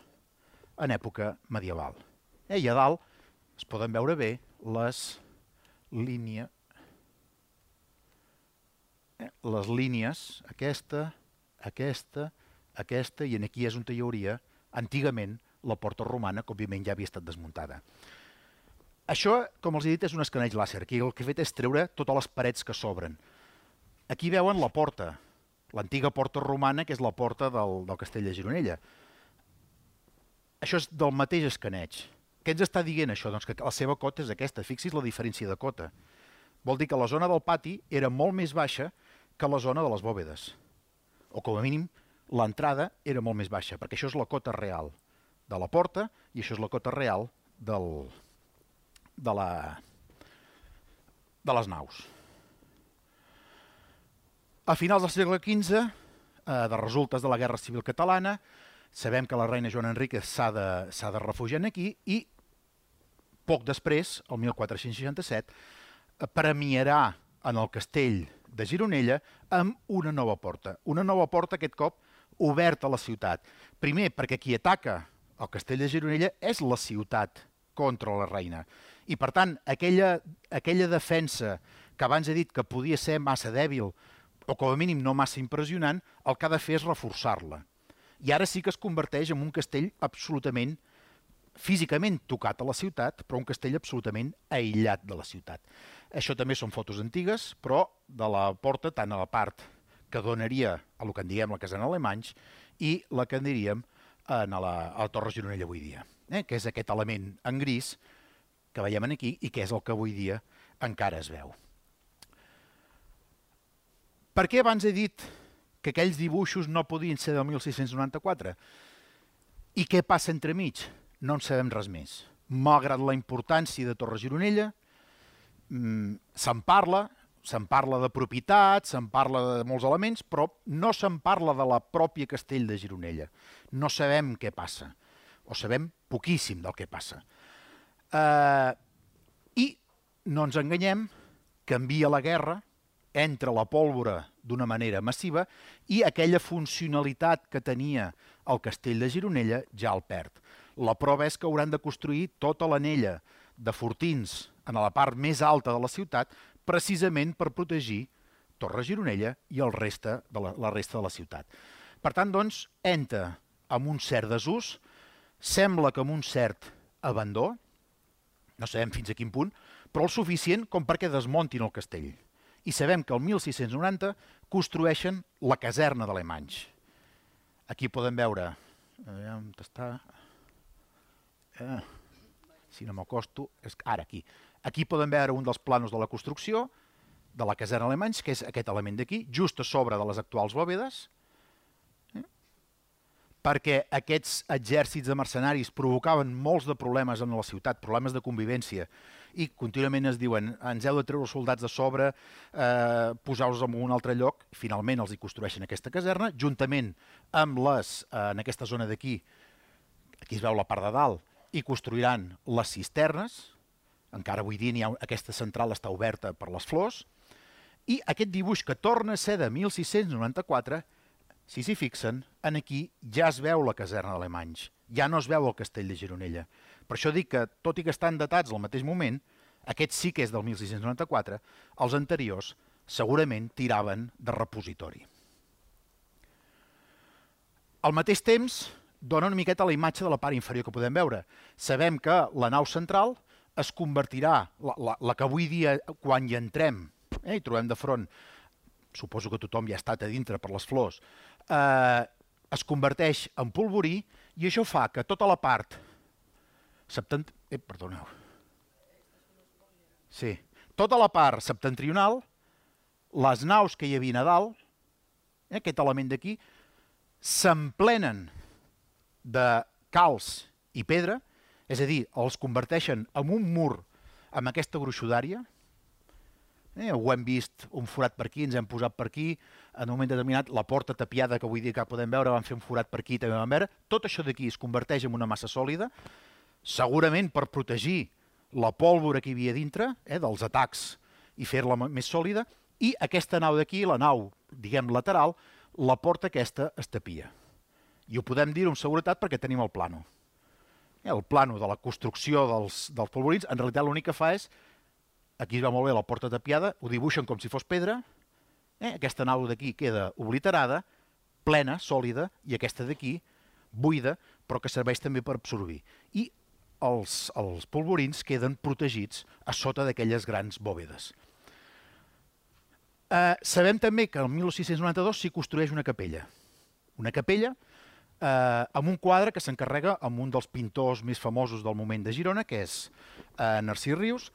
en època medieval. I a dalt es poden veure bé les línies, aquesta, i aquí és on hi hauria antigament la porta romana, que òbviament ja havia estat desmuntada. Això, com els he dit, és un escaneig làser. Aquí el que he fet és treure totes les parets que s'obren. Aquí veuen la porta, l'antiga porta romana, que és la porta del castell de Gironella. Això és del mateix escaneig. Què ens està dient això? Doncs que la seva cota és aquesta. Fixi's la diferència de cota. Vol dir que la zona del pati era molt més baixa que la zona de les bòvedes. O com a mínim, l'entrada era molt més baixa, perquè això és la cota real de la porta i això és la cota real de les naus. A finals del segle XV, de resultes de la Guerra Civil Catalana, sabem que la reina Joana Enríquez s'ha de refugiar aquí i poc després, el 1467, premiarà en el castell de Gironella amb una nova porta. Una nova porta, aquest cop, oberta a la ciutat. Primer, perquè qui ataca el castell de Gironella és la ciutat contra la reina. I, per tant, aquella defensa que abans he dit que podia ser massa dèbil o com a mínim no massa impressionant, el que ha de fer és reforçar-la. I ara sí que es converteix en un castell absolutament físicament tocat a la ciutat, però un castell absolutament aïllat de la ciutat. Això també són fotos antigues, però de la porta, tant a la part que donaria a el que en diguem la casana Alemanys i la que en diríem a la Torre Gironella avui dia, que és aquest element en gris que veiem aquí i que és el que avui dia encara es veu. Per què abans he dit que aquells dibuixos no podien ser del 1694? I què passa entremig? No en sabem res més. Malgrat la importància de Torre Gironella, se'n parla de propietat, se'n parla de molts elements, però no se'n parla de la pròpia castell de Gironella. No sabem què passa, o sabem poquíssim del que passa. I no ens enganyem, canvia la guerra, entra la pólvora d'una manera massiva i aquella funcionalitat que tenia el castell de Gironella ja el perd. La prova és que hauran de construir tota l'anella de fortins en la part més alta de la ciutat precisament per protegir Torre Gironella i la resta de la ciutat. Per tant, doncs, entra amb un cert desús, sembla que amb un cert abandó, no sabem fins a quin punt, però el suficient com perquè desmontin el castell. I sabem que el 1690 construeixen la caserna d'Alemanys. Aquí podem veure, on està, si no m'acosto, ara aquí. Aquí podem veure un dels plànols de la construcció de la caserna Alemanys, que és aquest element d'aquí, just a sobre de les actuals bòvedes, perquè aquests exèrcits de mercenaris provocaven molts de problemes en la ciutat, problemes de convivència, i contínuament es diuen ens heu de treure els soldats de sobre, posar-los en un altre lloc, i finalment els hi construeixen aquesta caserna, juntament amb en aquesta zona d'aquí, aquí es veu la part de dalt, i construiran les cisternes, encara avui dia aquesta central està oberta per les flors, i aquest dibuix que torna a ser de 1694, si s'hi fixen, aquí ja es veu la caserna d'Alemanys, ja no es veu el castell de Gironella. Per això dic que, tot i que estan datats al mateix moment, aquest sí que és del 1694, els anteriors segurament tiraven de repositori. Al mateix temps, dona una miqueta la imatge de la part inferior que podem veure. Sabem que la nau central es convertirà, la que avui dia, quan hi entrem, i trobem de front, suposo que tothom ja ha estat a dintre per les flors, es converteix en polvorí i això fa que tota la part perdoneu. Sí, tota la part septentrional, les naus que hi havia a dalt, aquest element d'aquí, s'emplenen de calç i pedra, és a dir, els converteixen en un mur amb aquesta gruixudària. Ho hem vist, un forat per aquí, ens hem posat per aquí, en un moment determinat la porta tapiada que avui dia que podem veure, van fer un forat per aquí, també vam veure, tot això d'aquí es converteix en una massa sòlida, segurament per protegir la pólvora que hi havia dintre, dels atacs, i fer-la més sòlida, i aquesta nau d'aquí, la nau, diguem, lateral, la porta aquesta es tapia. I ho podem dir amb seguretat perquè tenim el plano. El plano de la construcció dels polvorins, en realitat l'únic que fa és, aquí es va molt bé la porta tapiada, ho dibuixen com si fos pedra, aquesta nau d'aquí queda obliterada, plena, sòlida, i aquesta d'aquí, buida, però que serveix també per absorbir. I els polvorins queden protegits a sota d'aquelles grans bòvedes. Sabem també que el 1692 s'hi construeix una capella. Una capella amb un quadre que s'encarrega amb un dels pintors més famosos del moment de Girona, que és Narcís Rius,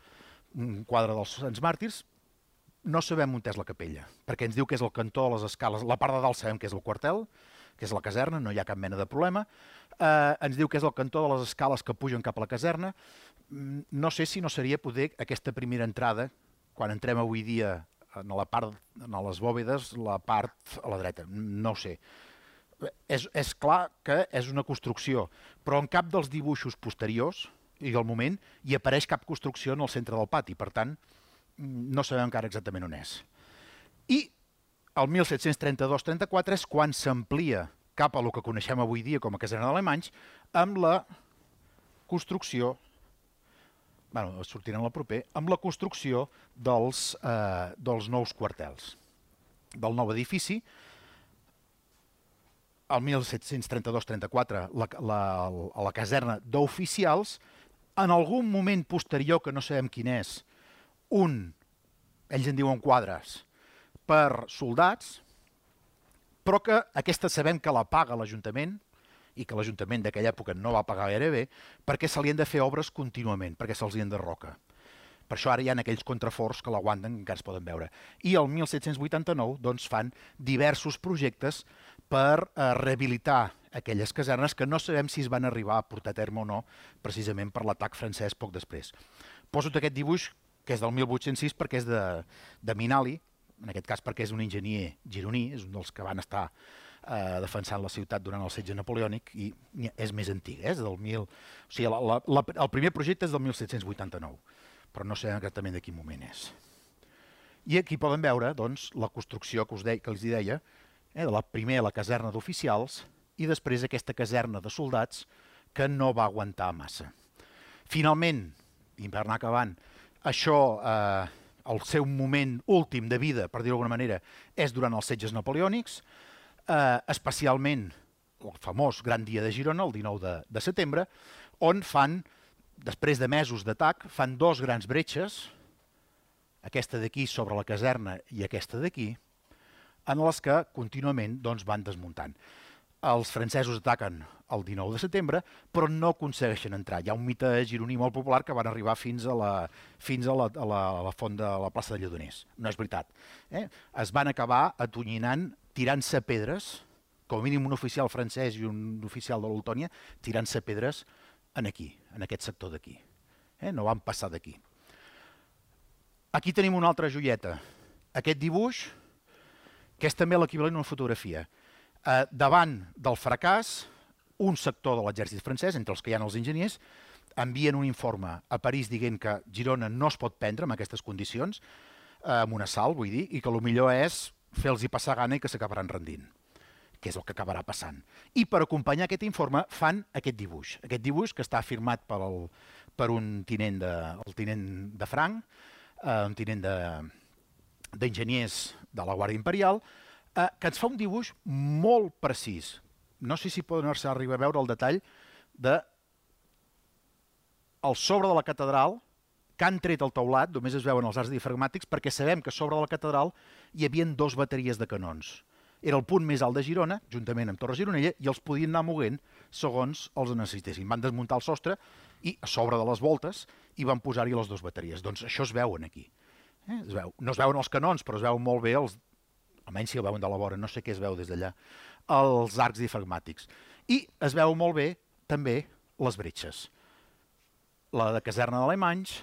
un quadre dels Sants Màrtirs. No sabem on és la capella, perquè ens diu que és el cantó de les escales. La part de dalt sabem que és el quartel, que és la caserna, no hi ha cap mena de problema. Ens diu que és el cantó de les escales que pugen cap a la caserna. No sé si no seria poder aquesta primera entrada, quan entrem avui dia en les bòvedes, la part a la dreta. No ho sé. És clar que és una construcció, però en cap dels dibuixos posteriors i del moment hi apareix cap construcció en el centre del pati, per tant, no sabem encara exactament on és. I el 1732-34 és quan s'amplia cap a el que coneixem avui dia com a caserna d'Alemanys, amb la construcció, sortirà en el proper, amb la construcció dels nous quartels, del nou edifici. El 1732-34, a la caserna d'oficials, en algun moment posterior, que no sabem quin és, ells en diuen quadres, per soldats, però que aquesta sabem que la paga l'Ajuntament, i que l'Ajuntament d'aquella època no va pagar gaire bé, perquè se li han de fer obres contínuament, perquè se'ls hi han de roca. Per això ara hi ha aquells contraforts que l'aguanten, que encara es poden veure. I el 1789 doncs, fan diversos projectes per rehabilitar aquelles casernes que no sabem si es van arribar a portar a terme o no, precisament per l'atac francès poc després. Poso aquest dibuix, que és del 1806, perquè és de Minali, en aquest cas perquè és un enginyer gironí, és un dels que van estar defensant la ciutat durant el setge napoleònic, i és més antic, és del el primer projecte és del 1789, però no sé exactament de quin moment és. I aquí poden veure doncs, la construcció que els deia, de la primera la caserna d'oficials i després aquesta caserna de soldats que no va aguantar massa. Finalment, i per anar acabant, això, el seu moment últim de vida, per dir-ho d'alguna manera, és durant els setges napoleònics, especialment el famós Gran Dia de Girona, el 19 de setembre, on fan, després de mesos d'atac, fan dos grans bretxes, aquesta d'aquí sobre la caserna i aquesta d'aquí, en les que contínuament van desmuntant. els francesos ataquen el 19 de setembre, però no aconsegueixen entrar. Hi ha un mite gironí molt popular que van arribar fins a la font de la plaça de Lledoners. No és veritat. Es van acabar atonyinant, tirant-se pedres, com a mínim un oficial francès i un oficial de l'Oltònia, tirant-se pedres aquí, en aquest sector d'aquí. No van passar d'aquí. Aquí tenim una altra joieta. Aquest dibuix, que és també l'equivalent a una fotografia. Davant del fracàs, un sector de l'exèrcit francès, entre els que hi ha els enginyers, envien un informe a París dient que Girona no es pot prendre en aquestes condicions, amb un assalt, vull dir, i que el millor és fer-los passar gana i que s'acabaran rendint, que és el que acabarà passant. I per acompanyar aquest informe fan aquest dibuix que està firmat per un tinent de Franc, un tinent d'enginyers de la Guàrdia Imperial, que ens fa un dibuix molt precís. No sé si poden arribar a veure el detall de al sobre de la catedral, que han tret el teulat, només es veuen els arcs diafragmàtics, perquè sabem que sobre de la catedral hi havia 2 bateries de canons. Era el punt més alt de Girona, juntament amb Torre Gironella, i els podien anar moguent segons els necessitessin. Van desmuntar el sostre i a sobre de les voltes hi van posar-hi les 2 bateries. Doncs això es veuen aquí. No es veuen els canons, però es veuen molt bé almenys si el veuen de la vora, no sé què es veu des d'allà, els arcs diafragmàtics. I es veu molt bé també les bretxes. La de caserna d'Alemanys,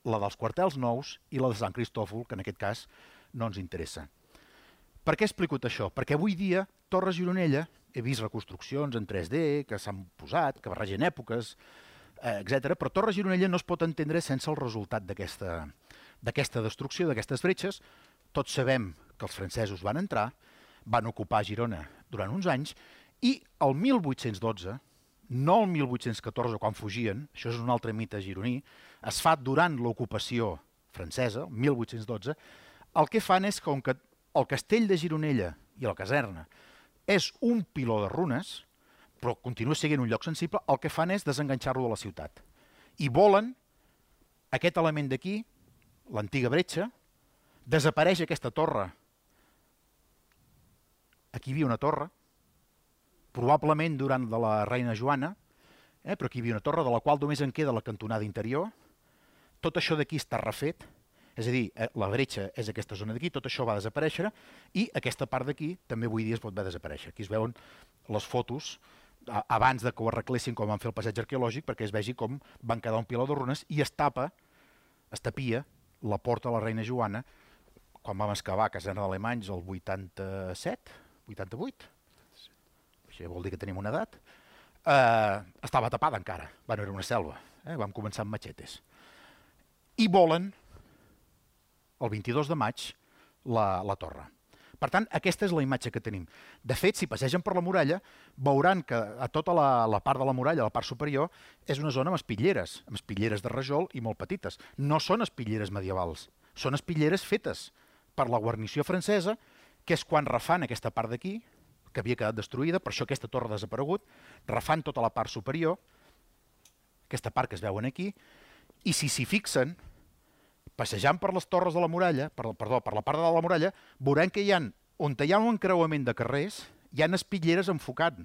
la dels quartels nous i la de Sant Cristòfol, que en aquest cas no ens interessa. Per què explico això? Perquè avui dia Torre Gironella, he vist reconstruccions en 3D que s'han posat, que barregen èpoques, etc. Però Torre Gironella no es pot entendre sense el resultat d'aquesta destrucció, d'aquestes bretxes. Tots sabem que els francesos van entrar, van ocupar Girona durant uns anys, i el 1812, no el 1814, quan fugien, això és un altre mite gironí, es fa durant l'ocupació francesa, el 1812, el que fan és, com que el castell de Gironella i la caserna és un piló de runes, però continua sent un lloc sensible, el que fan és desenganxar-lo de la ciutat. I volen aquest element d'aquí, l'antiga bretxa, desapareix aquesta torre. Aquí hi havia una torre, probablement durant de la reina Joana, però aquí hi havia una torre de la qual només en queda la cantonada interior. Tot això d'aquí està refet, és a dir, la bretxa és aquesta zona d'aquí, tot això va desaparèixer, i aquesta part d'aquí també avui dia es pot veure desaparèixer. Aquí es veuen les fotos abans de que ho arreglessin com van fer el passeig arqueològic, perquè es vegi com van quedar un piló de runes i es tapia la porta de la reina Joana quan vam excavar a caserna d'Alemanys el 87, 88, això vol dir que tenim una edat, estava tapada encara, no era una selva, vam començar amb matxetes. I volen, el 22 de maig, la torre. Per tant, aquesta és la imatge que tenim. De fet, si passegen per la muralla, veuran que a tota la part de la muralla, la part superior, és una zona amb espitlleres de rajol i molt petites. No són espitlleres medievals, són espitlleres fetes per la guarnició francesa, que és quan refan aquesta part d'aquí, que havia quedat destruïda, per això aquesta torre ha desaparegut, refan tota la part superior, aquesta part que es veuen aquí, i si s'hi fixen, passejant per les torres de la muralla, per la part de la muralla, veurem que on hi ha un encreuament de carrers, hi ha espitlleres enfocant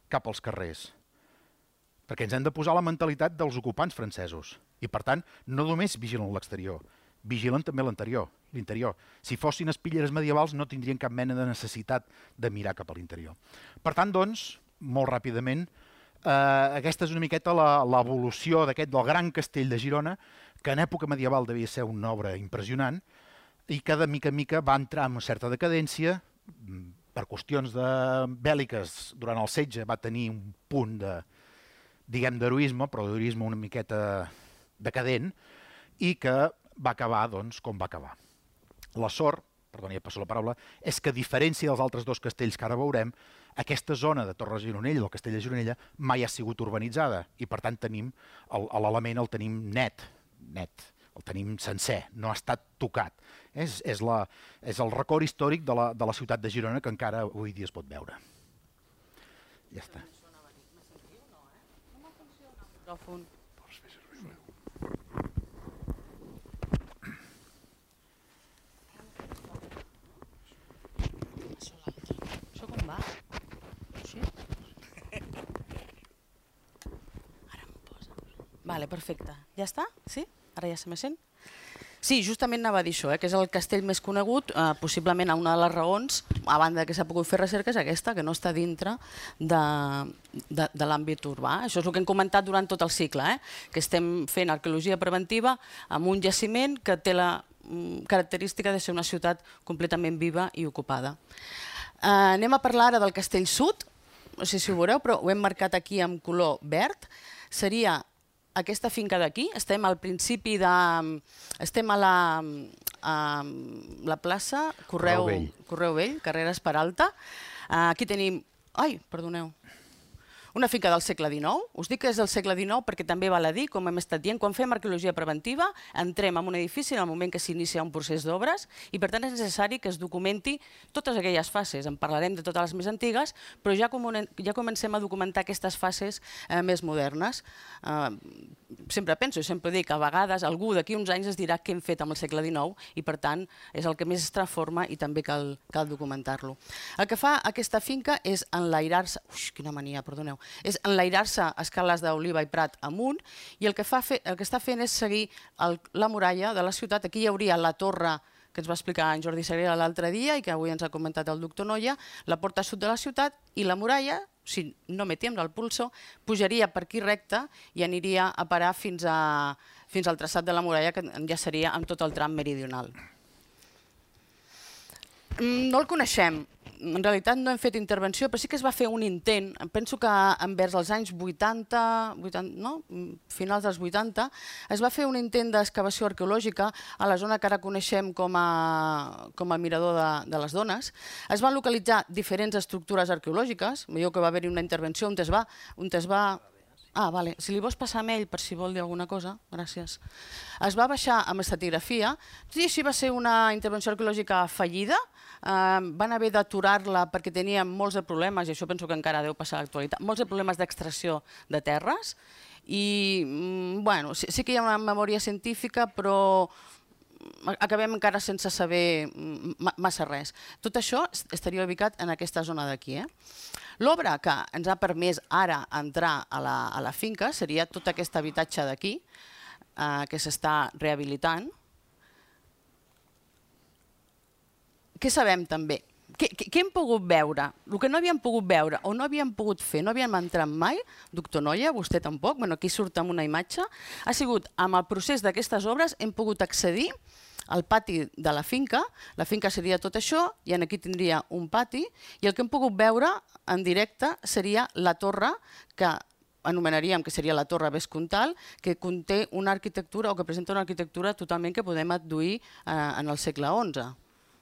cap als carrers, perquè ens hem de posar la mentalitat dels ocupants francesos, i per tant no només vigilen l'exterior, vigilen també l'interior. Si fossin espitlleres medievals no tindrien cap mena de necessitat de mirar cap a l'interior. Per tant, doncs, molt ràpidament, aquesta és una miqueta l'evolució del gran castell de Girona, que en època medieval devia ser una obra impressionant i que de mica en mica va entrar en una certa decadència. Per qüestions bèl·liques, durant el setge va tenir un punt d'heroisme, però d'heroisme una miqueta decadent, i que va acabar com va acabar. La sort, perdoni, ja passo la paraula, és que a diferència dels altres 2 castells que ara veurem, aquesta zona de Torre Gironella, el castell de Gironella, mai ha sigut urbanitzada i per tant l'element el tenim net, el tenim sencer, no ha estat tocat. És el record històric de la ciutat de Girona que encara avui dia es pot veure. Ja està. Això com va? Vale, perfecte. Ja està? Sí? Ara ja se me sent? Sí, justament anava a dir això, que és el castell més conegut, possiblement una de les raons, a banda que s'ha pogut fer recerca, és aquesta, que no està dintre de l'àmbit urbà. Això és el que hem comentat durant tot el cicle, que estem fent arqueologia preventiva amb un jaciment que té la característica de ser una ciutat completament viva i ocupada. Anem a parlar ara del castell sud, no sé si ho veureu, però ho hem marcat aquí amb color verd. Seria aquesta finca d'aquí, estem al principi de... Estem a la plaça Correu Vell, carreres Peralta. Aquí tenim... Ai, perdoneu. Una finca del segle XIX. Us dic que és del segle XIX perquè també val a dir, com hem estat dient, quan fem arqueologia preventiva entrem en un edifici en el moment que s'inicia un procés d'obres i per tant és necessari que es documenti totes aquelles fases. En parlarem de totes les més antigues, però ja comencem a documentar aquestes fases més modernes. Sempre penso i sempre dic que a vegades algú d'aquí uns anys es dirà què hem fet amb el segle XIX i per tant és el que més es transforma i també cal documentar-lo. El que fa aquesta finca és enlairar-se... Ui, quina mania, perdoneu. És enlairar-se escales d'Oliva i Prat amunt i el que està fent és seguir la muralla de la ciutat. Aquí hi hauria la torre que ens va explicar en Jordi Sagrera l'altre dia i que avui ens ha comentat el doctor Noia, la porta sud de la ciutat i la muralla, si no me tiembla el pulso, pujaria per aquí recte i aniria a parar fins al traçat de la muralla, que ja seria amb tot el tram meridional. No el coneixem. En realitat no hem fet intervenció, però sí que es va fer un intent, penso que envers els anys 80, finals dels 80, es va fer un intent d'excavació arqueològica a la zona que ara coneixem com a Mirador de les Dones. Es van localitzar diferents estructures arqueològiques, veieu que va haver-hi una intervenció on es va... Ah, vale. Si li vols passar amb ell per si vol dir alguna cosa, gràcies. Es va baixar amb estratigrafia, i així va ser una intervenció arqueològica fallida, van haver d'aturar-la perquè teníem molts de problemes, i això penso que encara deu passar a l'actualitat, molts de problemes d'extracció de terres, i bueno, sí que hi ha una memòria científica, però acabem encara sense saber massa res. Tot això estaria ubicat en aquesta zona d'aquí. L'obra que ens ha permès ara entrar a la finca seria tot aquest habitatge d'aquí, que s'està rehabilitant. Què sabem també? Què hem pogut veure? El que no havíem pogut veure o no havíem pogut fer, no havíem entrat mai, doctor Noia, vostè tampoc, aquí surt amb una imatge, ha sigut amb el procés d'aquestes obres hem pogut accedir al pati de la finca seria tot això i aquí tindria un pati i el que hem pogut veure en directe seria la torre que anomenaríem que seria la Torre Vescomtal, que conté una arquitectura o que presenta una arquitectura totalment que podem adduir en el segle XI.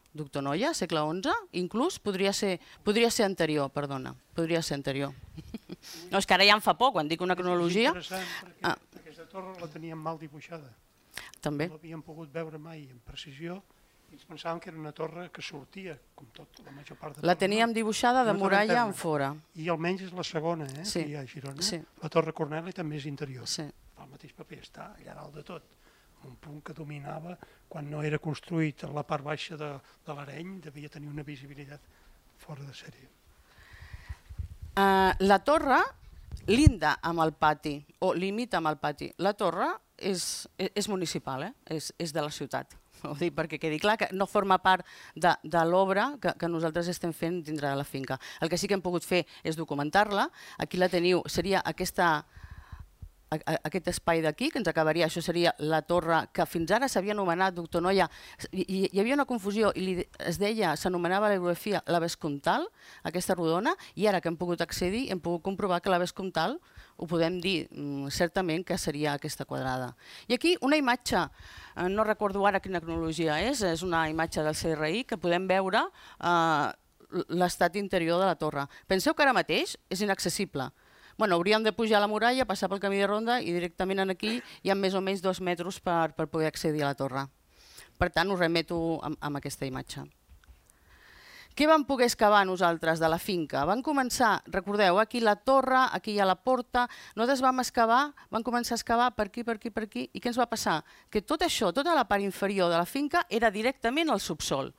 Doctor Noia, segle XI, inclús podria ser anterior, perdona, podria ser anterior. No, és que ara ja en fa poc, quan dic una cronologia... És interessant perquè aquesta torre la teníem mal dibuixada. També. No l'havíem pogut veure mai amb precisió i ens pensàvem que era una torre que sortia, com tot, la major part de torre. La teníem dibuixada de muralla en fora. I almenys és la segona, que hi ha a Girona. La Torre Corneli també és interior. El mateix paper està allà dalt de tot. Un punt que dominava, quan no era construït a la part baixa de l'Areny, devia tenir una visibilitat fora de sèrie. La torre linda amb el pati, o limita amb el pati. La torre és municipal, és de la ciutat. Ho dic perquè quedi clar que no forma part de l'obra que nosaltres estem fent dintre de la finca. El que sí que hem pogut fer és documentar-la. Aquí la teniu, seria aquest espai d'aquí, que ens acabaria, això seria la torre que fins ara s'havia anomenat, doctor Noia, hi havia una confusió i es deia, s'anomenava l'orografia la Vescomtal, aquesta rodona, i ara que hem pogut accedir hem pogut comprovar que la Vescomtal ho podem dir certament que seria aquesta quadrada. I aquí una imatge, no recordo ara quina cronologia és una imatge del CRI que podem veure l'estat interior de la torre. Penseu que ara mateix és inaccessible. Hauríem de pujar a la muralla, passar pel camí de ronda i directament aquí hi ha més o menys 2 metres per poder accedir a la torre. Per tant, us remeto amb aquesta imatge. Què vam poder excavar nosaltres de la finca? Vam començar, recordeu, aquí la torre, aquí hi ha la porta, nosaltres vam començar a excavar per aquí, per aquí, per aquí, i què ens va passar? Que tot això, tota la part inferior de la finca era directament al subsol.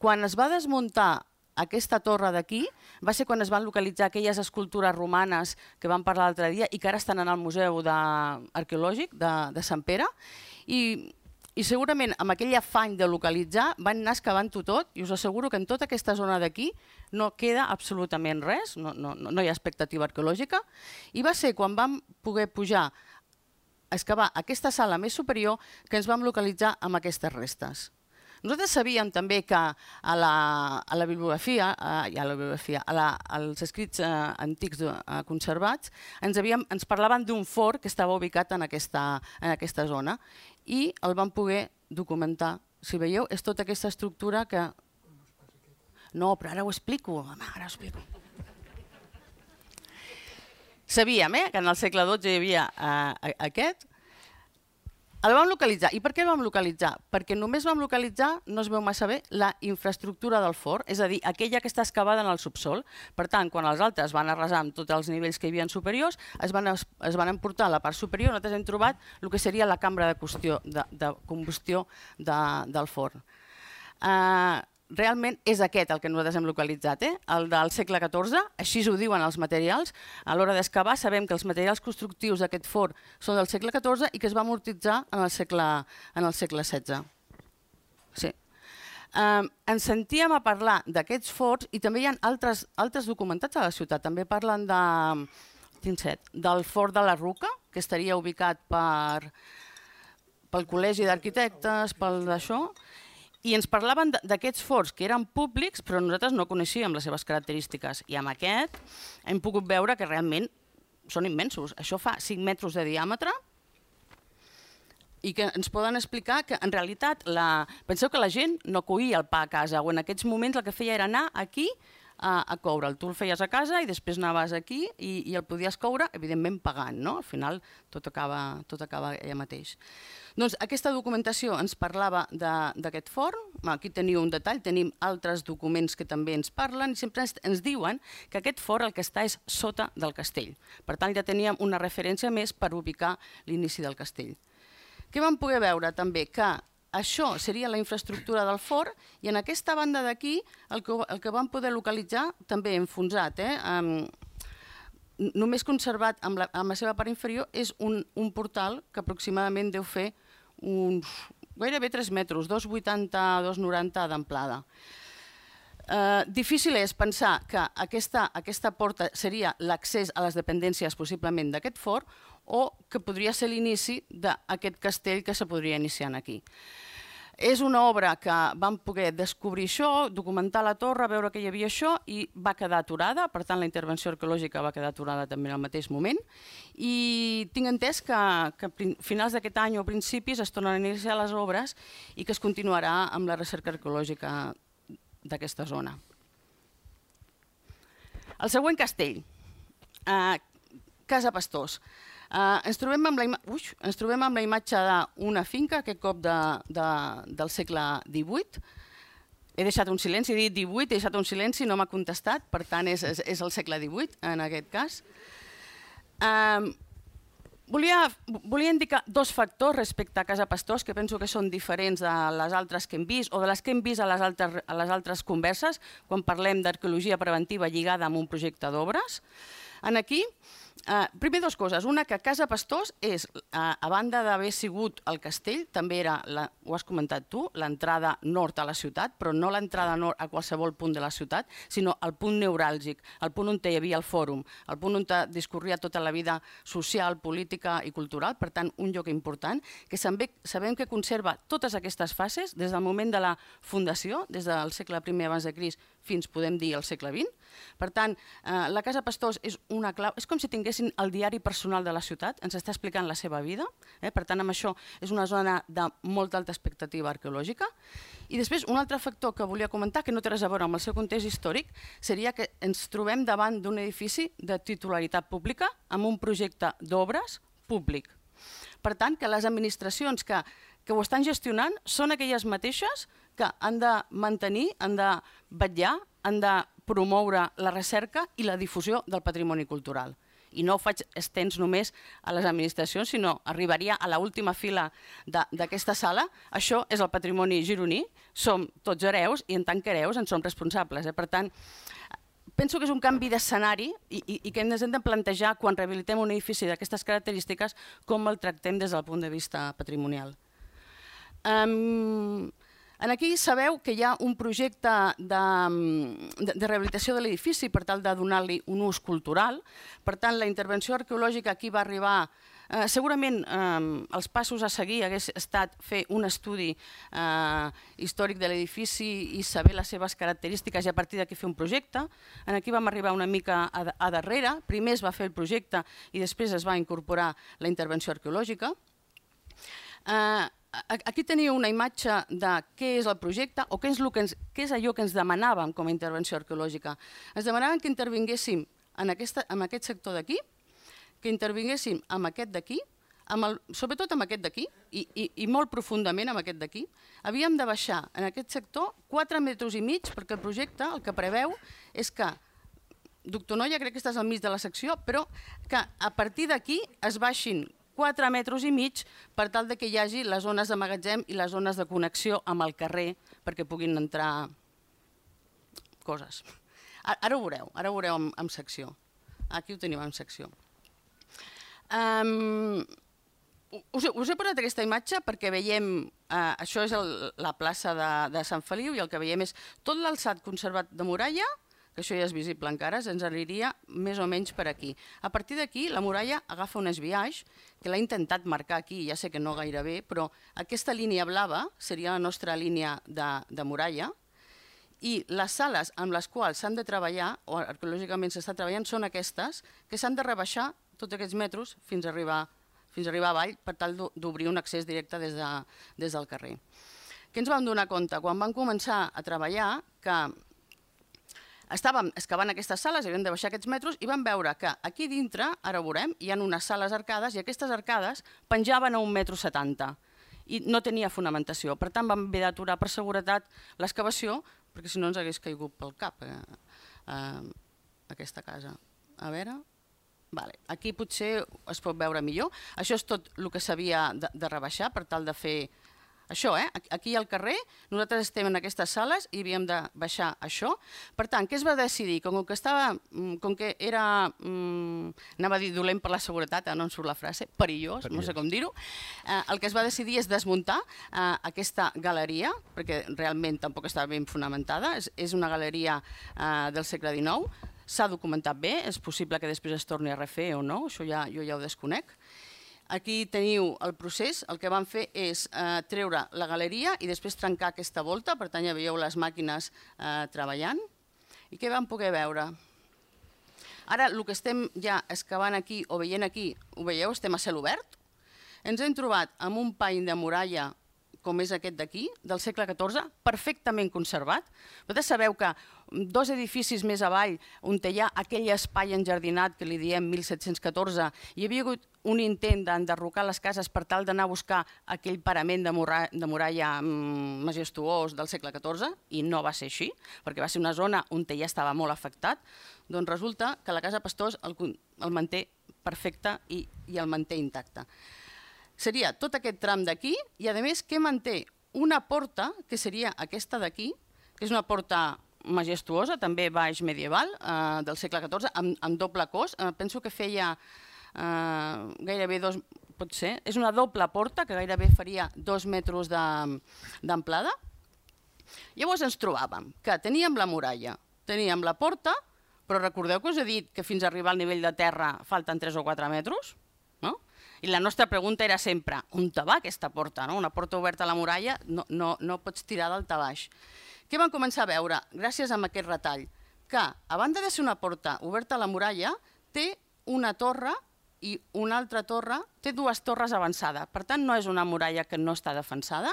Quan es va desmuntar aquesta torre d'aquí va ser quan es van localitzar aquelles escultures romanes que vam parlar l'altre dia i que ara estan en el Museu Arqueològic de Sant Pere, i segurament amb aquell afany de localitzar van anar excavant-ho tot, i us asseguro que en tota aquesta zona d'aquí no queda absolutament res, no hi ha expectativa arqueològica, i va ser quan vam poder pujar a excavar aquesta sala més superior que ens vam localitzar amb aquestes restes. Nosaltres sabíem també que a la bibliografia, als escrits antics conservats, ens parlaven d'un fort que estava ubicat en aquesta zona i el vam poder documentar. Si veieu, és tota aquesta estructura que... No, però ara ho explico. Sabíem que en el segle XII hi havia aquest. El vam localitzar. I per què el vam localitzar? Perquè només vam localitzar, no es veu massa bé, la infraestructura del fort, és a dir, aquella que està excavada en el subsol. Per tant, quan els altres van arrasar amb tots els nivells que hi havia superiors, es van emportar a la part superior, nosaltres hem trobat el que seria la cambra de combustió del forn. Realment és aquest el que nosaltres hem localitzat, el del segle XIV, així ho diuen els materials. A l'hora d'excavar sabem que els materials constructius d'aquest forn són del segle XIV i que es va amortitzar en el segle XVI. Sí. Ens sentíem a parlar d'aquests forns i també hi ha altres documentats a la ciutat. També parlen del fort de la Ruca, que estaria ubicat pel Col·legi d'Arquitectes, pel d'això, i ens parlaven d'aquests forts que eren públics, però nosaltres no coneixíem les seves característiques. I amb aquest hem pogut veure que realment són immensos. Això fa 5 metres de diàmetre i que ens poden explicar que en realitat, penseu que la gent no coïa el pa a casa, o en aquests moments el que feia era anar aquí a coure'l. Tu el feies a casa i després anaves aquí i el podies coure, evidentment pagant, no? Al final tot acaba allà mateix. Doncs aquesta documentació ens parlava d'aquest forn. Aquí teniu un detall, tenim altres documents que també ens parlen i sempre ens diuen que aquest forn el que està és sota del castell. Per tant, ja teníem una referència més per ubicar l'inici del castell. Què vam poder veure també? Que això seria la infraestructura del forn i en aquesta banda d'aquí el que vam poder localitzar també enfonsat, només conservat amb la seva part inferior és un portal que aproximadament deu fer uns gairebé 3 metres, 2,80, 2,90 d'amplada. Difícil és pensar que aquesta porta seria l'accés a les dependències possiblement d'aquest fort o que podria ser l'inici d'aquest castell que se podria iniciar aquí. És una obra que vam poder descobrir això, documentar la torre, veure que hi havia això i va quedar aturada, per tant la intervenció arqueològica va quedar aturada també en el mateix moment i tinc entès que a finals d'aquest any o principis es tornaran a iniciar les obres i que es continuarà amb la recerca arqueològica d'aquesta zona. El següent castell, Casa Pastors. Ens trobem amb la imatge d'una finca, aquest cop del segle XVIII. He deixat un silenci, he dit 18, he deixat un silenci, no m'ha contestat, per tant és el segle XVIII en aquest cas. Volia indicar 2 factors respecte a Casa Pastors que penso que són diferents de les altres que hem vist o de les que hem vist a les altres converses quan parlem d'arqueologia preventiva lligada amb un projecte d'obres. Aquí, primer 2 coses. Una, que Casa Pastors és, a banda d'haver sigut el castell, també era, ho has comentat tu, l'entrada nord a la ciutat, però no l'entrada nord a qualsevol punt de la ciutat, sinó el punt neuràlgic, el punt on hi havia el fòrum, el punt on discorria tota la vida social, política i cultural, per tant, un lloc important, que sabem que conserva totes aquestes fases des del moment de la fundació, des del segle I abans de Crist fins, podem dir, al segle XX. Per tant, la Casa Pastors és una clau, és com si tinguessin el diari personal de la ciutat, ens està explicant la seva vida, per tant, amb això és una zona de molta alta expectativa arqueològica. I després, un altre factor que volia comentar, que no té res a veure amb el seu context històric, seria que ens trobem davant d'un edifici de titularitat pública amb un projecte d'obres públic. Per tant, que les administracions que ho estan gestionant són aquelles mateixes que han de mantenir, han de vetllar, han de promoure la recerca i la difusió del patrimoni cultural. i no ho faig extens només a les administracions, sinó arribaria a l'última fila d'aquesta sala. Això és el patrimoni gironí, som tots hereus i en tant que hereus en som responsables. Per tant, penso que és un canvi d'escenari i que ens hem de plantejar quan rehabilitem un edifici d'aquestes característiques com el tractem des del punt de vista patrimonial. Aquí sabeu que hi ha un projecte de rehabilitació de l'edifici per tal de donar-li un ús cultural. Per tant, la intervenció arqueològica aquí va arribar. Segurament els passos a seguir hagués estat fer un estudi històric de l'edifici i saber les seves característiques i a partir d'aquí fer un projecte. Aquí vam arribar una mica a darrere. Primer es va fer el projecte i després es va incorporar la intervenció arqueològica. Aquí teniu una imatge de què és el projecte o què és allò que ens demanàvem com a intervenció arqueològica. Ens demanaven que intervinguéssim en aquest sector d'aquí, que intervinguéssim amb aquest d'aquí, sobretot amb aquest d'aquí i molt profundament amb aquest d'aquí. Havíem de baixar en aquest sector 4,5 metres perquè el projecte el que preveu és que, doctor Noia, crec que estàs al mig de la secció, però que a partir d'aquí es baixin 4,5 metres per tal que hi hagi les zones de magatzem i les zones de connexió amb el carrer perquè puguin entrar coses. Ara ho veureu en secció. Aquí ho teniu en secció. Us he posat aquesta imatge perquè veiem, això és la plaça de Sant Feliu i el que veiem és tot l'alçat conservat de muralla, que això ja és visible encara, ens aniria més o menys per aquí. A partir d'aquí, la muralla agafa un esbiaix, que l'ha intentat marcar aquí, ja sé que no gaire bé, però aquesta línia blava seria la nostra línia de muralla, i les sales amb les quals s'han de treballar, o arqueològicament s'està treballant, són aquestes, que s'han de rebaixar tots aquests metres fins a arribar avall, per tal d'obrir un accés directe des del carrer. Què ens vam donar compte? Quan vam començar a treballar, que estàvem excavant aquestes sales, havíem de baixar aquests metres i vam veure que aquí dintre, ara ho veurem, hi ha unes sales arcades i aquestes arcades penjaven a 1,70 m i no tenia fonamentació. Per tant, vam haver d'aturar per seguretat l'excavació perquè si no ens hagués caigut pel cap aquesta casa. A veure... Aquí potser es pot veure millor. Això és tot el que s'havia de rebaixar per tal de fer... Això, aquí al carrer, nosaltres estem en aquestes sales i havíem de baixar això. Per tant, què es va decidir? Com que era, anava a dir dolent per la seguretat, no em surt la frase, perillós, no sé com dir-ho, el que es va decidir és desmuntar aquesta galeria, perquè realment tampoc estava ben fonamentada, és una galeria del segle XIX, s'ha documentat bé, és possible que després es torni a refer o no, això jo ja ho desconec. Aquí teniu el procés, el que vam fer és treure la galeria i després trencar aquesta volta, per tant ja veieu les màquines treballant. I què vam poder veure? Ara el que estem ja excavant aquí o veient aquí, ho veieu, estem a cel obert. Ens hem trobat amb un pany de muralla com és aquest d'aquí, del segle XIV, perfectament conservat. Vosaltres sabeu que 2 edificis més avall, on hi ha aquell espai enjardinat que li diem 1714, hi havia hagut un intent d'enderrocar les cases per tal d'anar a buscar aquell parament de muralla majestuós del segle XIV, i no va ser així, perquè va ser una zona on ja estava molt afectat. Doncs resulta que la Casa Pastors el manté perfecte i el manté intacte. Seria tot aquest tram d'aquí i, a més, que manté una porta, que seria aquesta d'aquí, que és una porta majestuosa, també baix medieval, del segle XIV, amb doble cos. Penso que feia gairebé 2, pot ser, és una doble porta que gairebé faria 2 metres d'amplada. Llavors ens trobàvem que teníem la muralla, teníem la porta, però recordeu que us he dit que fins a arribar al nivell de terra falten 3 o 4 metres? I la nostra pregunta era sempre, on va aquesta porta? Una porta oberta a la muralla no pots tirar d'alt a baix. Què vam començar a veure? Gràcies a aquest retall, que a banda de ser una porta oberta a la muralla, té una torre i una altra torre, té 2 torres avançades. Per tant, no és una muralla que no està defensada.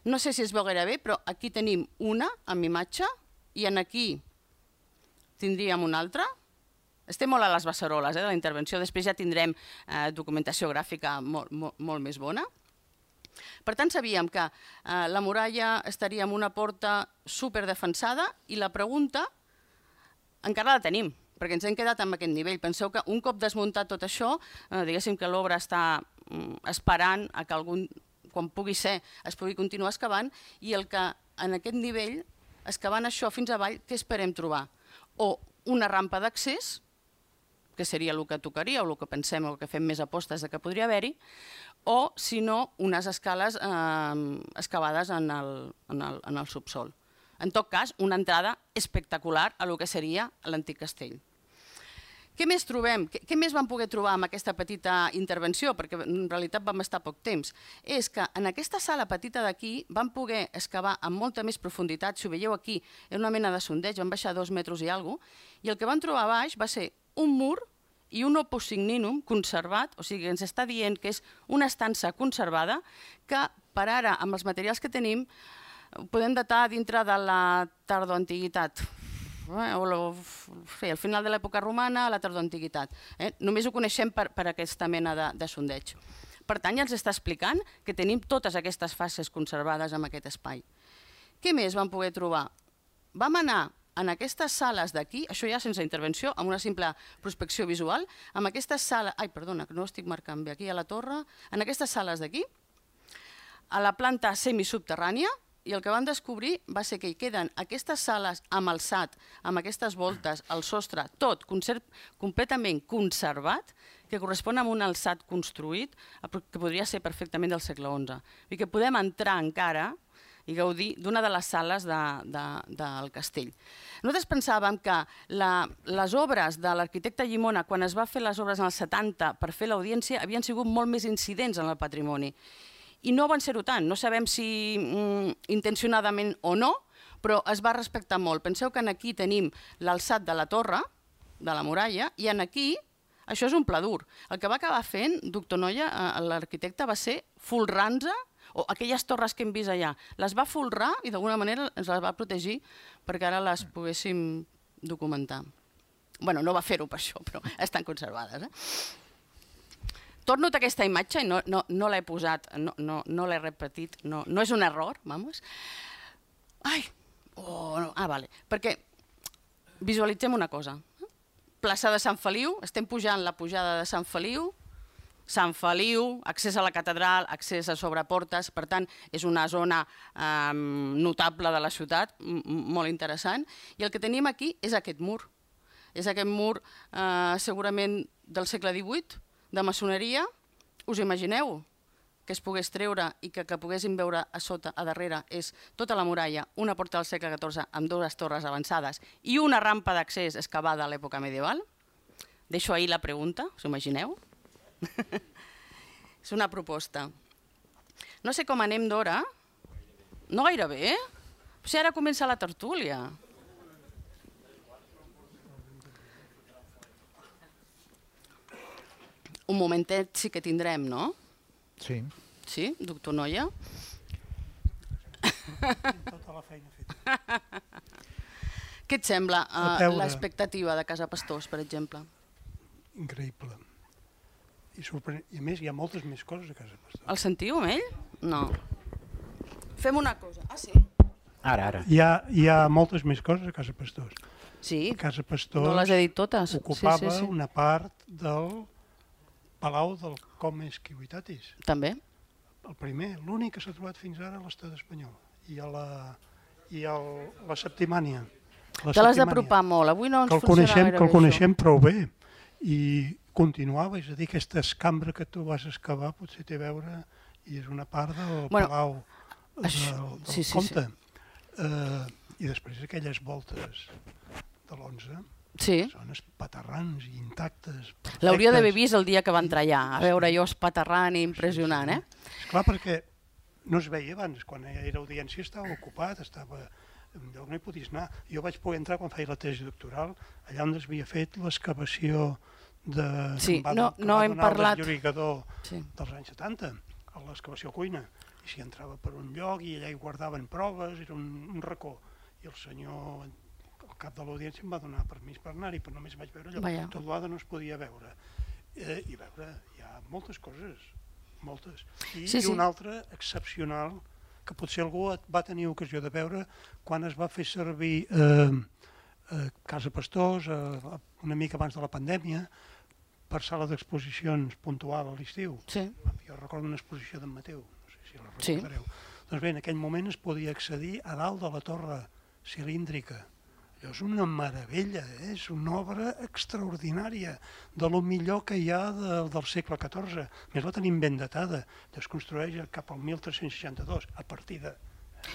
No sé si es veu gaire bé, però aquí tenim una amb imatge i aquí tindríem una altra. Estem molt a les beceroles de la intervenció, després ja tindrem documentació gràfica molt més bona. Per tant, sabíem que la muralla estaria amb una porta superdefensada i la pregunta encara la tenim, perquè ens hem quedat amb aquest nivell. Penseu que un cop desmuntat tot això, diguéssim que l'obra està esperant a que quan pugui ser, es pugui continuar excavant, i el que en aquest nivell, excavant això fins avall, què esperem trobar? O una rampa d'accés, que seria el que tocaria, o el que pensem, o el que fem més apostes de que podria haver-hi, o, si no, unes escales excavades en el subsol. En tot cas, una entrada espectacular a el que seria l'antic castell. Què més trobem? Què més vam poder trobar amb aquesta petita intervenció? Perquè en realitat vam estar poc temps. És que en aquesta sala petita d'aquí vam poder excavar amb molta més profunditat. Si ho veieu aquí, era una mena de sondeig, vam baixar 2 metres i alguna cosa, i el que vam trobar a baix va ser un mur i un opus signinum conservat, o sigui, ens està dient que és una estança conservada que per ara, amb els materials que tenim, podem datar dintre de la tardoantiguitat, al final de l'època romana, a la tardoantiguitat. Només ho coneixem per aquesta mena de sondeig. Per tant, ja ens està explicant que tenim totes aquestes fases conservades en aquest espai. Què més vam poder trobar? Vam anar en aquestes sales d'aquí, això ja sense intervenció, amb una simple prospecció visual, amb aquestes sales... Ai, perdona, que no ho estic marcant bé, aquí a la torre, en aquestes sales d'aquí, a la planta semisubterrània, i el que vam descobrir va ser que hi queden aquestes sales amb alçat, amb aquestes voltes, el sostre, tot completament conservat, que correspon a un alçat construït, que podria ser perfectament del segle XI. I que podem entrar encara i gaudir d'una de les sales del castell. Nosaltres pensàvem que les obres de l'arquitecte Llimona, quan es va fer les obres en els 70 per fer l'audiència, havien sigut molt més incidents en el patrimoni. I no van ser-ho tant, no sabem si intencionadament o no, però es va respectar molt. Penseu que aquí tenim l'alçat de la torre, de la muralla, i aquí això és un pla dur. El que va acabar fent, doctor Noia, l'arquitecte, va ser folrar-nos, o aquelles torres que hem vist allà, les va folrar i d'alguna manera ens les va protegir perquè ara les poguéssim documentar. Bueno, no va fer-ho per això, però estan conservades. Torno a aquesta imatge i no l'he posat, no l'he repetit, no és un error, vamos. Vale, perquè visualitzem una cosa. Plaça de Sant Feliu, estem pujant la pujada de Sant Feliu, accés a la catedral, accés a sobreportes, per tant, és una zona notable de la ciutat, molt interessant, i el que tenim aquí és aquest mur. És aquest mur segurament del segle XVIII, de maçoneria. Us imagineu que es pogués treure i que poguéssim veure a sota, a darrere, és tota la muralla, una porta del segle XIV amb 2 torres avançades i una rampa d'accés excavada a l'època medieval? Deixo ahí la pregunta, us imagineu? És una proposta. No sé com anem d'hora. No gaire bé? Si ara comença la tertúlia. Un momentet sí que tindrem, no? Sí. Sí, doctor Noia? Tota la feina feta. Què et sembla l'expectativa de Casa Pastors, per exemple? Increïble. I a més, hi ha moltes més coses a Casa Pastors. El sentiu, amb ell? No. Fem una cosa. Ah, sí? Ara. Hi ha moltes més coses a Casa Pastors. Sí, Casa Pastors no les he dit totes. ocupava una part del Palau del Comes Ciuitatis. També. El primer, l'únic que s'ha trobat fins ara a l'estat espanyol. I a la Septimània. Te l'has d'apropar molt, avui no ens funciona gaire bé. Que el coneixem prou bé. I continuava, és a dir, aquesta escambra que tu vas excavar potser té a veure i és una part del Palau del Comte. I després aquelles voltes de l'11 són espaterrans i intactes. L'hauria d'haver vist el dia que va entrar allà, a veure jo espaterrant i impressionant, eh? Esclar, perquè no es veia abans, quan era audiència estava ocupat, no hi podies anar. Jo vaig poder entrar quan feia la tesi doctoral, allà on es havia fet l'excavació Sí, no hem parlat. El desllorigador dels anys 70, a l'excavació cuina. I s'hi entrava per un lloc i allà hi guardaven proves, era un racó. I el senyor, el cap de l'audiència, em va donar permís per anar-hi, però només vaig veure allò. Tot l'altre no es podia veure. I veure, hi ha moltes coses, moltes. I una altra excepcional, que potser algú va tenir ocasió de veure quan es va fer servir Casa Pastors, una mica abans de la pandèmia, per sala d'exposicions puntual a l'estiu. Sí. Jo recordo una exposició d'en Mateu, no sé si la recordareu. Doncs bé, en aquell moment es podia accedir a dalt de la torre cilíndrica. Allò és una meravella, és una obra extraordinària, de lo millor que hi ha del segle XIV. A més, la tenim ben datada, es construeix cap al 1362, a partir de...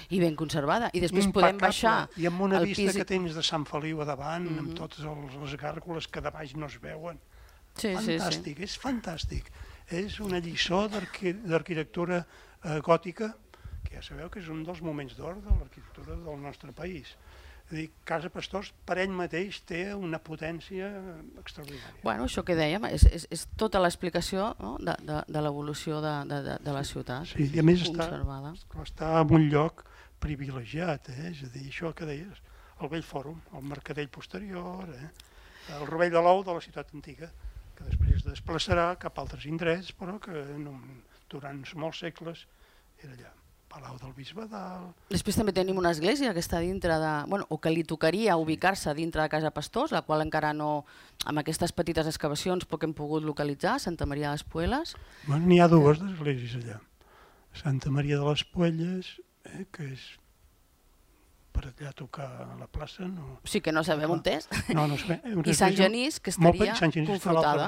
I ben conservada. I després podem baixar i amb una al vista pis... que tens de Sant Feliu a davant, amb totes les gàrgoles que de baix no es veuen. Fantàstic, és fantàstic. És una lliçó d'arquitectura gòtica, que ja sabeu que és un dels moments d'or de l'arquitectura del nostre país. És a dir, Casa Pastors per ell mateix té una potència extraordinària. Bueno, això que dèiem, és tota l'explicació, no? de l'evolució de la ciutat. Sí, i a més conservada. Està en un lloc privilegiat, és a dir, això que deies, el vell fòrum, el mercadell posterior, el rovell de l'ou de la ciutat antiga, que després es desplaçarà cap a altres indrets, però que durant molts segles era allà. Palau del Bisbe d'Alt... Després també tenim una església que està dintre de... Bueno, o que li tocaria ubicar-se dintre de Casa Pastors, la qual encara no... Amb aquestes petites excavacions poc hem pogut localitzar, Santa Maria de les Puelles. Bueno, n'hi ha dues esglésies allà. Santa Maria de les Puelles, que és per allà tocar a la plaça, no... Sí, que no sabem on és. No, no sabem. I Sant Genís, que estaria confrontada.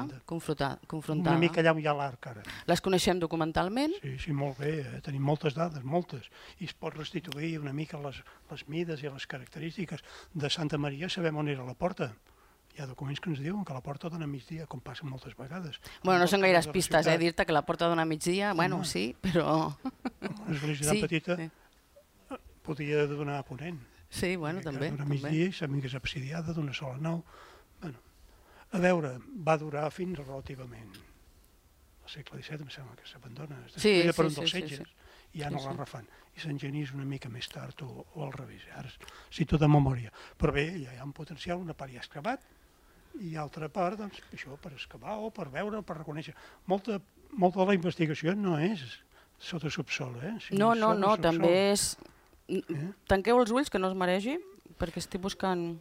Una mica allà hi ha l'arc, ara. Les coneixem documentalment? Sí, molt bé. Tenim moltes dades, moltes. I es pot restituir una mica les mides i les característiques. De Santa Maria sabem on era la porta. Hi ha documents que ens diuen que la porta dona a migdia, com passa moltes vegades. Bueno, no són gaires pistes, dir-te que la porta dona a migdia, bueno, sí, però... Una església tan petita podia donar a ponent. Sí, bueno, també. Donar a migdia i sabem que és absidiada d'una sola nau. Bueno, a veure, va durar fins relativament al segle XVII, em sembla que s'abandona. Sí, per un dels setges, i ja no la refan. I Sant Genís una mica més tard o al revés, ara cito de memòria. Però bé, ja hi ha un potencial, una part ja excavat, i altra part, doncs, això, per excavar o per veure o per reconèixer. Molta de la investigació no és sota subsol, No, també és... Tanqueu els ulls, que no es maregi, perquè estic buscant...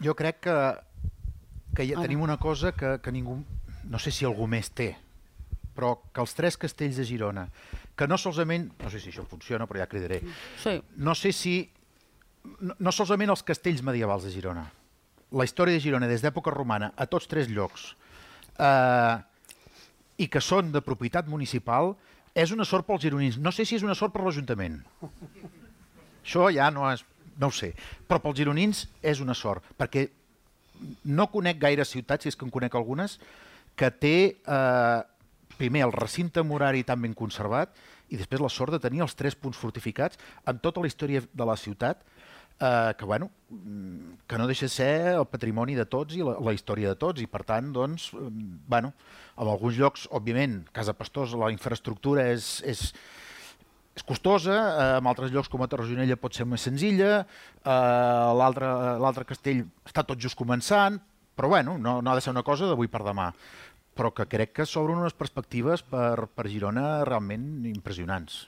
Jo crec que ja tenim una cosa que ningú, no sé si algú més té, però que els 3 castells de Girona, que no solament, no sé si això funciona, però ja cridaré, no sé si, no solament els castells medievals de Girona, la història de Girona des d'època romana a tots 3 llocs, i que són de propietat municipal, és una sort pels gironins. No sé si és una sort per l'Ajuntament. Això ja no ho sé. Però pels gironins és una sort, perquè no conec gaire ciutats, si és que en conec algunes, que té primer el recinte murari tan ben conservat i després la sort de tenir els 3 punts fortificats amb tota la història de la ciutat, que no deixa de ser el patrimoni de tots i la història de tots, i per tant, doncs, en alguns llocs, òbviament, Casa Pastors, la infraestructura és costosa, en altres llocs com a Torre-Gironella pot ser més senzilla, l'altre castell està tot just començant, però no ha de ser una cosa d'avui per demà, però que crec que s'obren unes perspectives per Girona realment impressionants.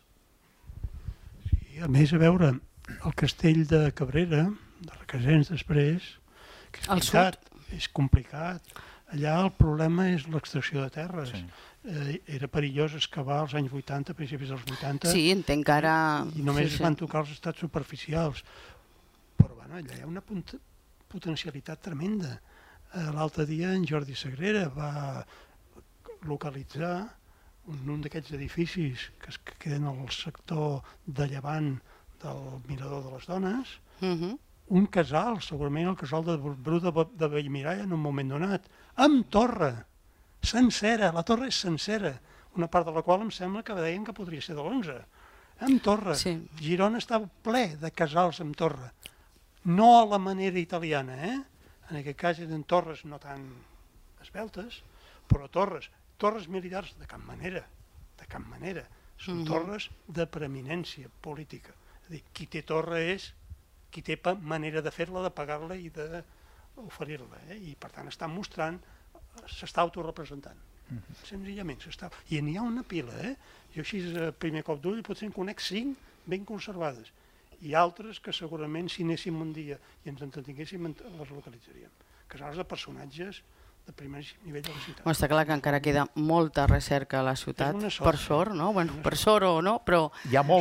Sí, a més, a veure, el castell de Cabrera, de Requesens després, que és veritat, és complicat. Allà el problema és l'extracció de terres. Era perillós excavar als anys 80, principis dels 80. Sí, entenc que ara... I només es van tocar els estats superficials. Però allà hi ha una potencialitat tremenda. L'altre dia en Jordi Sagrera va localitzar un d'aquests edificis que queden al sector de llevant del Mirador de les Dones, un casal, segurament el casal de Bru de Bellmirall en un moment donat, amb torre, sencera, la torre és sencera, una part de la qual em sembla que deien que podria ser de l'11, amb torre. Girona està ple de casals amb torre, no a la manera italiana, en aquest cas eren torres no tan esbeltes, però torres militars de cap manera, són torres de preeminència política. Qui té torre és qui té manera de fer-la, de pagar-la i d'oferir-la. I per tant està mostrant, s'està autorepresentant. Senzillament s'està... I n'hi ha una pila, Jo així a primer cop d'ull potser en conec 5 ben conservades. i altres que segurament si anéssim un dia i ens entretinguéssim les localitzaríem. Casals de personatges de primer nivell de la ciutat. Està clar que encara queda molta recerca a la ciutat, per sort, no? Per sort o no, però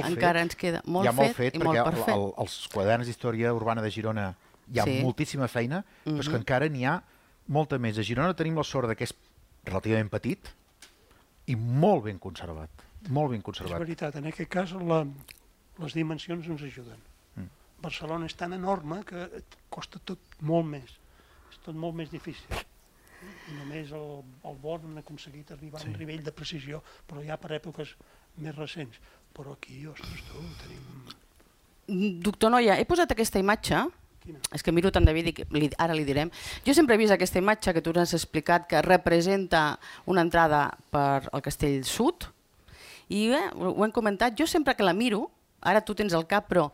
encara ens queda molt fet i molt per fer. Els quaderns d'història urbana de Girona hi ha moltíssima feina, però és que encara n'hi ha molta més. A Girona tenim la sort que és relativament petit i molt ben conservat. Molt ben conservat. És veritat, en aquest cas les dimensions ens ajuden. Barcelona és tan enorme que costa tot molt més. És tot molt més difícil. I només el Born ha aconseguit arribar a un nivell de precisió, però ja per èpoques més recents. Però aquí, ostres, tu, tenim... Doctor Noia, he posat aquesta imatge, és que miro tant David i ara li direm. Jo sempre he vist aquesta imatge que tu has explicat que representa una entrada per al Castell Sud i ho hem comentat, jo sempre que la miro, ara tu tens el cap, però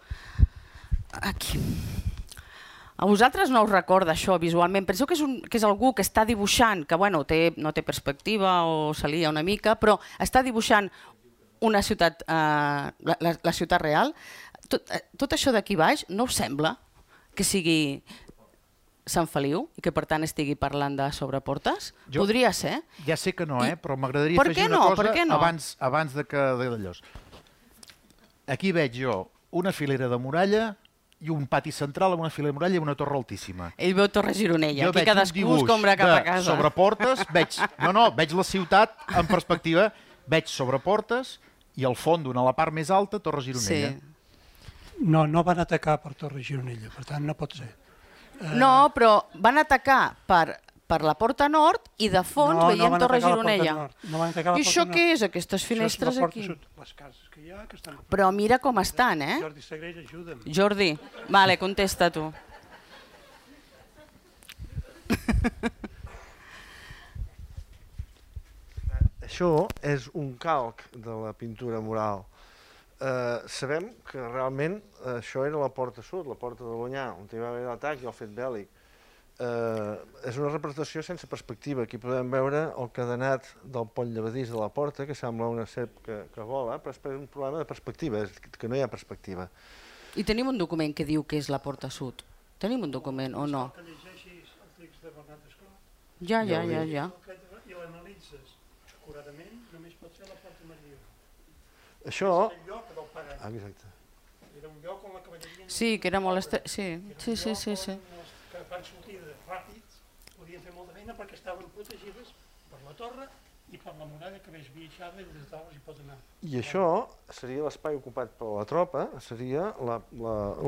aquí... A vosaltres no us recorda això visualment? Penseu que és algú que està dibuixant, que bueno, no té perspectiva o se lia una mica, però està dibuixant una ciutat, la ciutat real. Tot això d'aquí baix no us sembla que sigui Sant Feliu i que per tant estigui parlant de Sobreportes? Podria ser. Ja sé que no, però m'agradaria afegir una cosa abans de que d'allò. Aquí veig jo una filera de muralla i un pati central amb una filera de muralla i una torre altíssima. Ell veu Torre Gironella, aquí cadascú es compra cap a casa. Sobreportes, veig la ciutat en perspectiva, veig Sobreportes i al fons, a la part més alta, Torre Gironella. No van atacar per Torre Gironella, per tant no pot ser. No, però van atacar per la Porta Nord i de fons veiem Torre Gironella. I això què és, aquestes finestres aquí? Les cases que hi ha, que estan... Però mira com estan, Jordi Sagrell, ajuda'm. Jordi, vale, contesta tu. Això és un calc de la pintura mural. Sabem que realment això era la Porta Sud, la Porta de l'Onyar, on hi va haver l'atac i el fet bèl·lic. És una representació sense perspectiva. Aquí podem veure el cadenat del pont llevadís de la porta, que sembla una serp que vola, però és un problema de perspectiva, que no hi ha perspectiva. I tenim un document que diu que és la Porta Sud. Tenim un document o no? Que llegeixis el text de Bernat Esclot. Ja. I l'analitzes acuradament, només pot ser la Porta Maria. Això... És el lloc del pare. Exacte. Era un lloc on la cavalleria... Sí, que era molt estret. Sí. Que van sortir ràpids, podien fer molta feina perquè estaven protegides per la torre i per la muralla que ves biaixada i des de dalt hi pot anar. I això seria l'espai ocupat per la tropa, seria la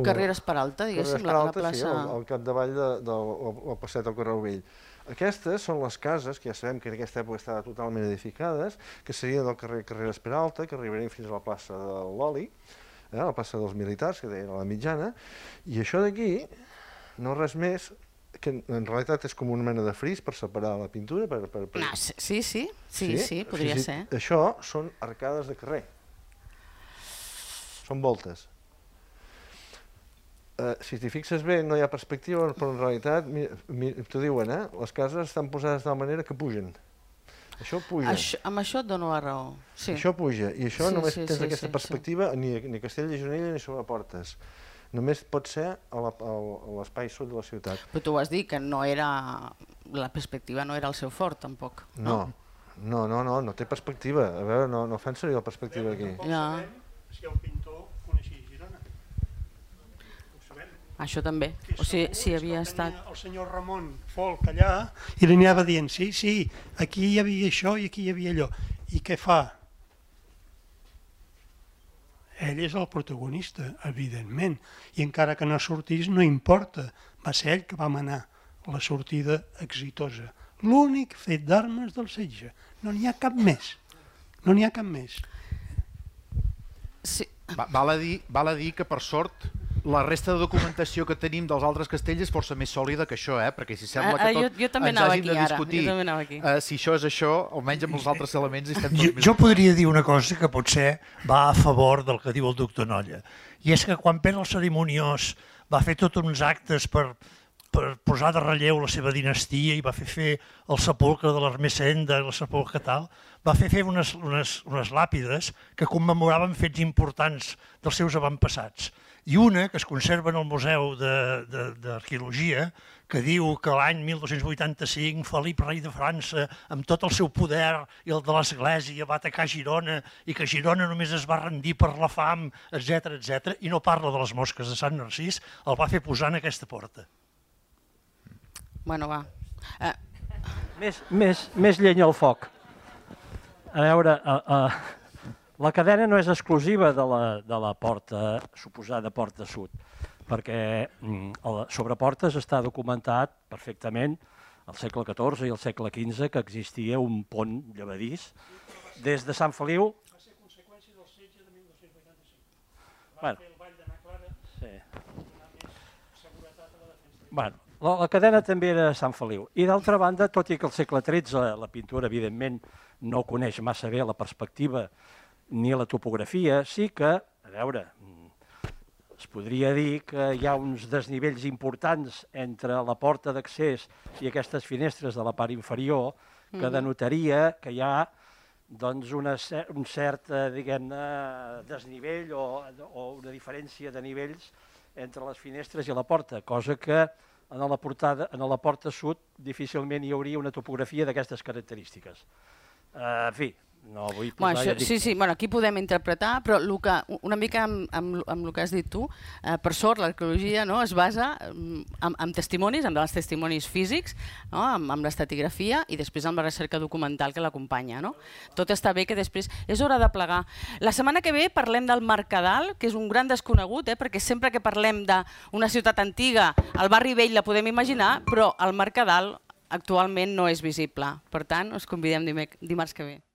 Carreres Peralta, diguéssim, la plaça... Sí, al capdavall del passeig del Carreu Vell. Aquestes són les cases, que ja sabem que en aquesta època estaven totalment edificades, que serien del carrer Carreres Peralta, que arribarien fins a la plaça de l'Oli, la plaça dels Militars, que deien a la mitjana, i això d'aquí no res més, que en realitat és com una mena de fris per separar la pintura. Sí, podria ser. Això són arcades de carrer. Són voltes. Si t'hi fixes bé, no hi ha perspectiva, però en realitat, t'ho diuen, les cases estan posades de tal manera que pugen. Això puja. Amb això et dono la raó. Això puja, i això només tens aquesta perspectiva ni a Castell de Gironella ni Sobreportes. Només pot ser a l'espai sud de la ciutat. Però tu vas dir que la perspectiva no era el seu fort, tampoc. No té perspectiva. A veure, no fan servir la perspectiva aquí. Si el pintor coneixia Girona. Ho sabem. Això també. O sigui, si havia estat... El senyor Ramon Folk allà i li anava dient, sí, aquí hi havia això i aquí hi havia allò. I què fa? Ell és el protagonista, evidentment, i encara que no sortís no importa, va ser ell que va manar la sortida exitosa. L'únic fet d'armes del setge, no n'hi ha cap més, Val a dir que per sort la resta de documentació que tenim dels altres castells és força més sòlida que això, perquè si sembla que tot ens hàgim de discutir si això és això, almenys amb els altres elements estem tots més... Jo podria dir una cosa que potser va a favor del que diu el doctor Nolla, i és que quan Pere el Cerimoniós va fer tots uns actes per per posar de relleu la seva dinastia i va fer el sepulcre de l'Ermessenda, el sepulcre tal, va fer unes làpides que commemoraven fets importants dels seus avantpassats. I una que es conserva en el Museu d'Arqueologia, que diu que l'any 1285 Felip, rei de França, amb tot el seu poder i el de l'Església, va atacar Girona i que Girona només es va rendir per la fam, etc. I no parla de les mosques de Sant Narcís, el va fer posar en aquesta porta. Bueno, va. Més llenya al foc. A veure, la cadena no és exclusiva de la porta, suposada porta sud, perquè sobre portes està documentat perfectament al segle XIV i al segle XV que existia un pont llevadís des de Sant Feliu. Va ser conseqüència del setge de 1285. Va fer el Vall de Naclara. Sí. Bueno, la cadena també era de Sant Feliu. I d'altra banda, tot i que al segle XIII la pintura, evidentment, no coneix massa bé la perspectiva ni la topografia, sí que, a veure, es podria dir que hi ha uns desnivells importants entre la porta d'accés i aquestes finestres de la part inferior que denotaria que hi ha doncs, un cert desnivell o una diferència de nivells entre les finestres i la porta, cosa que en la porta sud difícilment hi hauria una topografia d'aquestes característiques. En fi, no vull posar... Sí, aquí podem interpretar, però una mica amb el que has dit tu, per sort l'arqueologia es basa en testimonis, en els testimonis físics, amb l'estratigrafia i després amb la recerca documental que l'acompanya. Tot està bé que després és hora de plegar. La setmana que ve parlem del Mercadal, que és un gran desconegut, perquè sempre que parlem d'una ciutat antiga, el barri vell la podem imaginar, però el Mercadal actualment no és visible. Per tant, us convidem dimarts que ve.